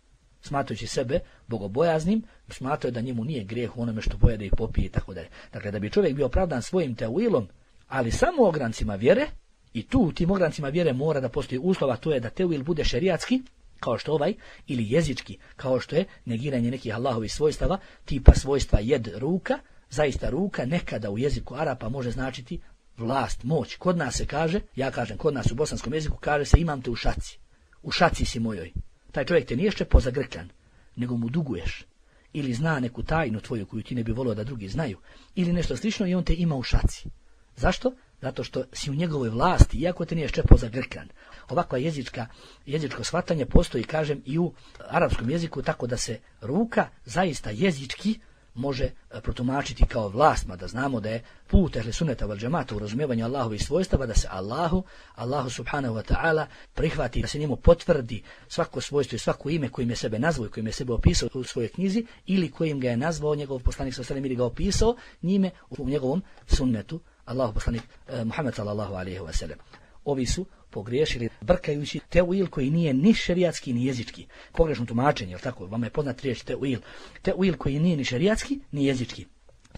Smatrajući sebe bogobojaznim, smatraju da njemu nije grijeh u onome što pojede i popije i tako dalje. Dakle, da bi čovjek bio opravdan svojim teuilom, ali samo u ograncima vjere, i tu u tim ograncima vjere mora da postoji uslova, to je da teuil bude šerijatski, kao što ovaj, ili jezički, kao što je negiranje nekih Allahovih svojstava, tipa svojstva jed ruka, zaista ruka nekada u jeziku Arapa može značiti vlast, moć. Kod nas se kaže, ja kažem, kod nas u bosanskom jeziku kaže se imam te u šaci si mojoj. Taj čovjek te nije ščepo zagrkljan, nego mu duguješ. Ili zna neku tajnu tvoju koju ti ne bi volio da drugi znaju. Ili nešto slično i on te ima u šaci. Zašto? Zato što si u njegovoj vlasti, iako te nije ščepo zagrkljan. Ovakva jezičko shvatanje postoji, kažem, i u arapskom jeziku, tako da se ruka zaista jezički može protumačiti kao vlast, mada znamo da je put ehli sunneta vel džemata u razumijevanju Allahovih svojstava, da se Allahu subhanahu wa ta'ala prihvati, da se njemu potvrdi svako svojstvo i svako ime kojim je sebe nazvao i kojim je sebe opisao u svojoj knjizi, ili kojim ga je nazvao njegov poslanik sallallahu alejhi ve sellem ili ga opisao njime u njegovom sunnetu, Allahu poslanik Muhammed sallallahu alejhi ve sellem. Ovi su pogriješili brkajući teuil koji nije ni šerijatski ni jezički. Pogrešno tumačenje, jel tako? Vama je poznat riječ teuil. Teuil koji nije ni šerijatski ni jezički.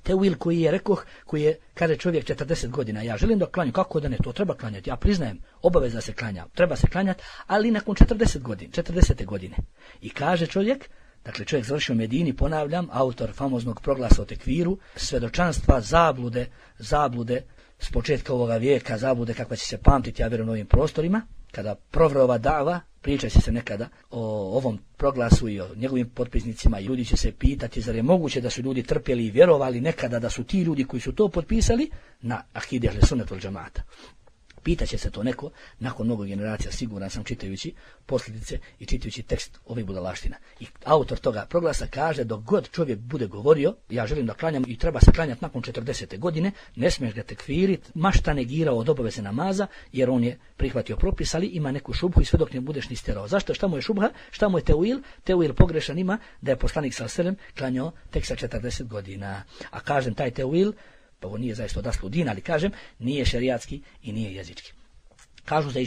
Teuil koji je koji je, kaže čovjek 40 godina, ja želim da klanjam, kako da ne, to treba klanjati, ja priznajem, obaveza se klanja, treba se klanjati, ali nakon 40. godine. I kaže čovjek, dakle čovjek završio u Medini, ponavljam, autor famoznog proglasa o tekviru, svjedočanstva, zablude, s početka ovoga vijeka, zablude kakva će se pamtiti, ja vjerujem, u ovim prostorima, kada provre ova dava, pričat će se nekada o ovom proglasu i o njegovim potpisnicima i ljudi će se pitati zar je moguće da su ljudi trpjeli i vjerovali nekada da su ti ljudi koji su to potpisali na akide ehli sunnet vel džemata. Pitaće se to neko nakon mnogo generacija, siguran sam, čitajući posljedice i čitajući tekst ovih budalaština. I autor toga proglasa kaže, dok god čovjek bude govorio, ja želim da klanjam i treba se klanjati nakon 40. godine, ne smiješ ga tekfirit, ma šta negirao od obaveze namaza, jer on je prihvatio propis, ali ima neku šubhu i sve dok ne budeš ni stjerao. Zašto? Šta mu je šubha? Šta mu je teuil? Teuil pogrešan ima da je poslanik s.a.v. klanjao tek sa 40 godina. A kažem, taj teuil, pa ovo nije zaista odaslu din, ali kažem, nije šerijatski i nije jezički. Kažu za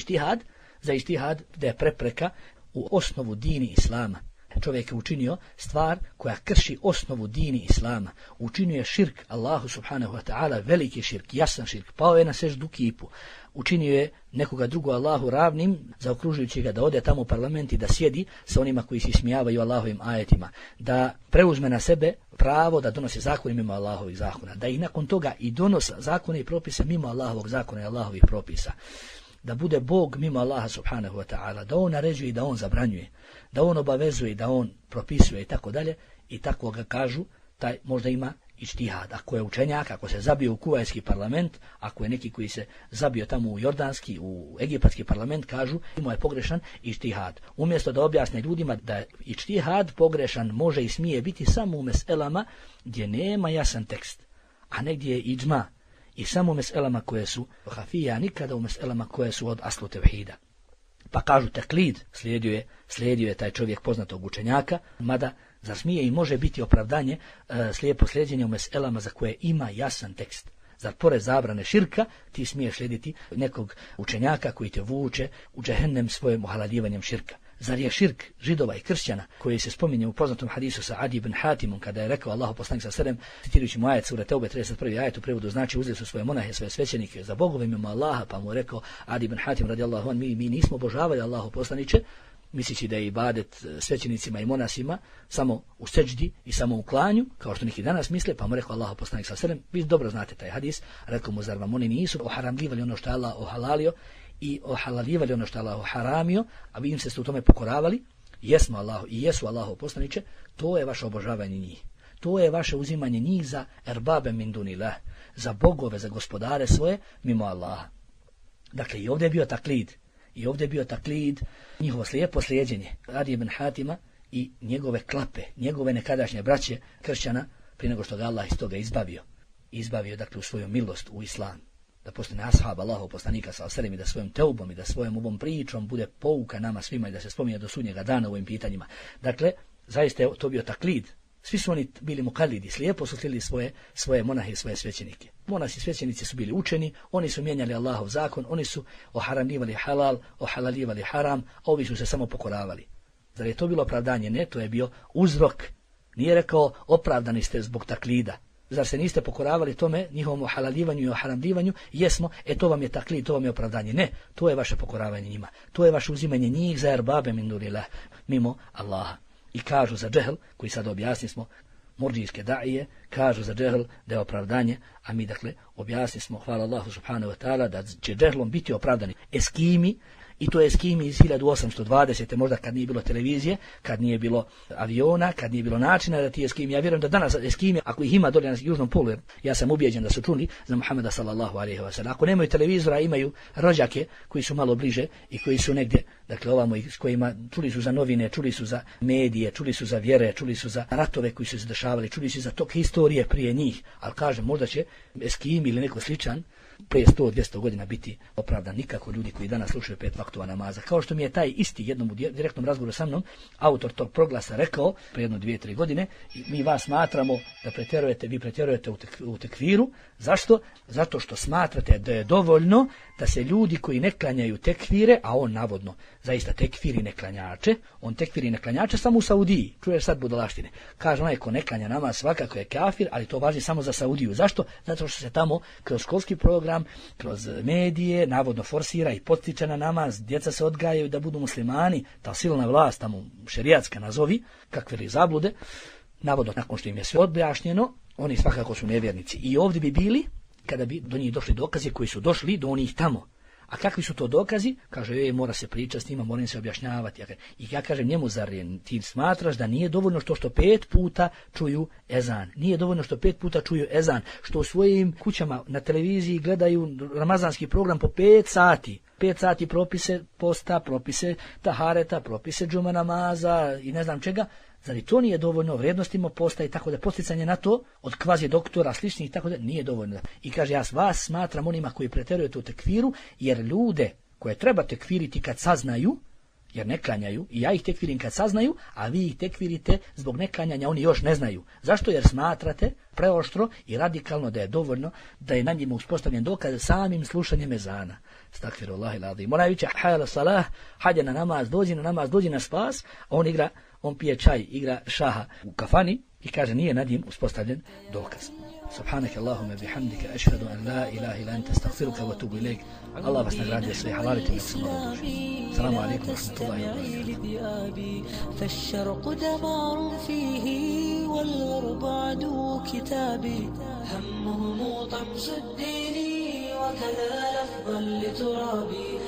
ištihad da je prepreka u osnovu dini islama. Čovjek je učinio stvar koja krši osnovu dini islama. Učinio je širk Allahu subhanahu wa ta'ala, veliki širk, jasan širk, pao je na seždu kipu. Učinio je nekoga drugo Allahu ravnim, zaokružujući ga da ode tamo u parlament i da sjedi sa onima koji se ismijavaju Allahovim ajetima, da preuzme na sebe pravo da donosi zakone mimo Allahovih zakona, da i nakon toga i donosi zakone i propise mimo Allahovog zakona i Allahovih propisa, da bude Bog mimo Allaha subhanahu wa ta'ala, da on naređuje i da on zabranjuje, da on obavezuje i da on propisuje i tako dalje, i tako ga kažu, taj možda ima ištihad. Ako je učenjak, ako se zabio u kuvajski parlament, ako je neki koji se zabio tamo u jordanski, u egipatski parlament, kažu imao je pogrešan ištihad. Umjesto da objasne ljudima da ištihad pogrešan može i smije biti samo u meselama gdje nema jasan tekst, a negdje je iđma, i samo u meselama koje su hafija, nikada u meselama koje su od aslu tevhida. Pa kažu taklid, slijedio je taj čovjek poznatog učenjaka, mada zar smije i može biti opravdanje slijepo slijedjenje u meselama za koje ima jasan tekst? Zar pored zabrane širka ti smiješ slijediti nekog učenjaka koji te vuče u džehennem svojim ohalaljivanjem širka? Zar je širk Židova i kršćana koji se spominje u poznatom hadisu sa Adi ibn Hatimom kada je rekao Allahu poslanik s.a.v. citirajući mu ajet sure Teube 31. ajet u prevodu znači uzeli su svoje monahe, svoje svećenike za bogove mimo Allaha, pa mu je rekao Adi ibn Hatim radijallahu an, mi nismo obožavali Allahu poslaniče, mislići da je ibadet svećenicima i monasima samo u seđdi i samo u klanju, kao što neki danas misle, pa mu rekao Allahu poslanik s.a.v. vi dobro znate taj hadis, rekao mu zar vam oni nisu oharamljivali ono što je Allah ohalalio i ohalalivali ono što je Allah haramio, a vi im se u tome pokoravali? Jesmo Allahu i jesu Allahu poslaniče, to je vaše obožavanje njih. To je vaše uzimanje njih za erbabe min dunillah, za bogove, za gospodare svoje mimo Allaha. Dakle, i ovdje je bio taklid, njihovo slijepo slijeđenje Adi ibn Hatima i njegove klape, njegove nekadašnje braće kršćana, prije nego što ga Allah iz toga izbavio dakle u svoju milost u islam, da postane ashab Allahov poslanika s.a.v. i da svojom teubom i da svojom ovom pričom bude pouka nama svima i da se spominje do sudnjega dana u ovim pitanjima. Dakle, zaista je to bio taklid. Svi su oni bili mukalidi, slijepo su slijedili svoje monahe i svoje svećenike. Monasi i svećenici su bili učeni, oni su mijenjali Allahov zakon, oni su oharamljivali halal, ohalalivali haram, a ovi su se samo pokoravali. Zar je to bilo opravdanje? Ne, to je bio uzrok. Nije rekao opravdani ste zbog taklida. Zar se niste pokoravali tome, njihovom ohalalivanju i oharamljivanju? Jesmo, to vam je taklid, to vam je opravdanje. Ne, to je vaše pokoravanje njima. To je vaše uzimanje njih za erbabe min dunillah, mimo Allaha. I kažu za džehl, koji sad objasni smo, murdžijske daije, kažu za džehl da je opravdanje, a mi dakle objasni smo, hvala Allahu subhanahu wa ta'ala, da će džehlom biti opravdani eskimi, i to je eskimi iz 1820. možda kad nije bilo televizije, kad nije bilo aviona, kad nije bilo načina da ti eskimi, ja vjerujem da danas eskimi, ako ih ima dolje na južnom polu, ja sam ubijeđen da su čuli za Muhameda sallallahu alejhi ve sellem. Ako nemaju televizora, imaju rođake koji su malo bliže i koji su negdje, dakle ovamo, s kojima čuli su za novine, čuli su za medije, čuli su za vjere, čuli su za ratove koji su se dešavali, čuli su za tok historije prije njih, ali kažem, možda će eskimi ili neko sličan prije 100-200 godina biti opravdan. Nikako ljudi koji danas slušaju 5 vaktova namaza. Kao što mi je taj isti jednom u direktnom razgovoru sa mnom autor tog proglasa rekao prije 1-2-3 godine, mi vas smatramo da pretjerujete, vi pretjerujete u tekviru. Zašto? Zato što smatrate da je dovoljno da se ljudi koji ne klanjaju tekvire, a on navodno zaista tekfiri neklanjače, on tekfiri neklanjače samo u Saudiji. Čuješ sad budalaštine. Kaže onaj ko ne klanja namaz svakako je kafir, ali to važi samo za Saudiju. Zašto? Zato što se tamo kroz školski program, kroz medije navodno forsira i potiče na namaz, djeca se odgajaju da budu muslimani, ta silna vlast tamo šerijatska nazovi, kakve li zablude, navodno nakon što im je sve objašnjeno, oni svakako su nevjernici. I ovdje bi bili, kada bi do njih došli dokazi koji su došli do onih tamo. A kakvi su to dokazi? Kaže, mora se pričati s njima, mora se objašnjavati. I ja kažem njemu, zar ti smatraš da nije dovoljno što 5 puta čuju ezan? Nije dovoljno što 5 puta čuju ezan, što u svojim kućama na televiziji gledaju ramazanski program po 5 sati. 5 sati propise posta, propise tahareta, propise džuma namaza i ne znam čega. Zar i to nije dovoljno, vrijednostima posta i tako da posticanje na to od kvazi doktora sličnih i tako da nije dovoljno. I kaže, ja vas smatram onima koji pretjerujete u tekfiru, jer ljude koje treba tekfiriti kad saznaju, jer ne klanjaju, i ja ih tekfirim kad saznaju, a vi ih tekfirite zbog neklanjanja, oni još ne znaju. Zašto? Jer smatrate preoštro i radikalno da je dovoljno da je na njima uspostavljen dokaz samim slušanjem ezana. Stakfirullahi l'azim. Ona viče, hajala salah, hađe na namaz, dođi na spas, a on pije čaj, igra šaha u kafani i kaže nije nad njim uspostavljen dokaz. Subhanaka Allahumma bihamdika ashhadu an la ilaha illa anta astaghfiruka wa atubu ilayk. Allah vas nagradio sve halalite mi samo dođe. Assalamu alaikum wa rahmatullahi wa barakatuh. فالشرق دمار فيه والغرب عدو كتابي همهم طمس الدين وكذا لفظا لترابي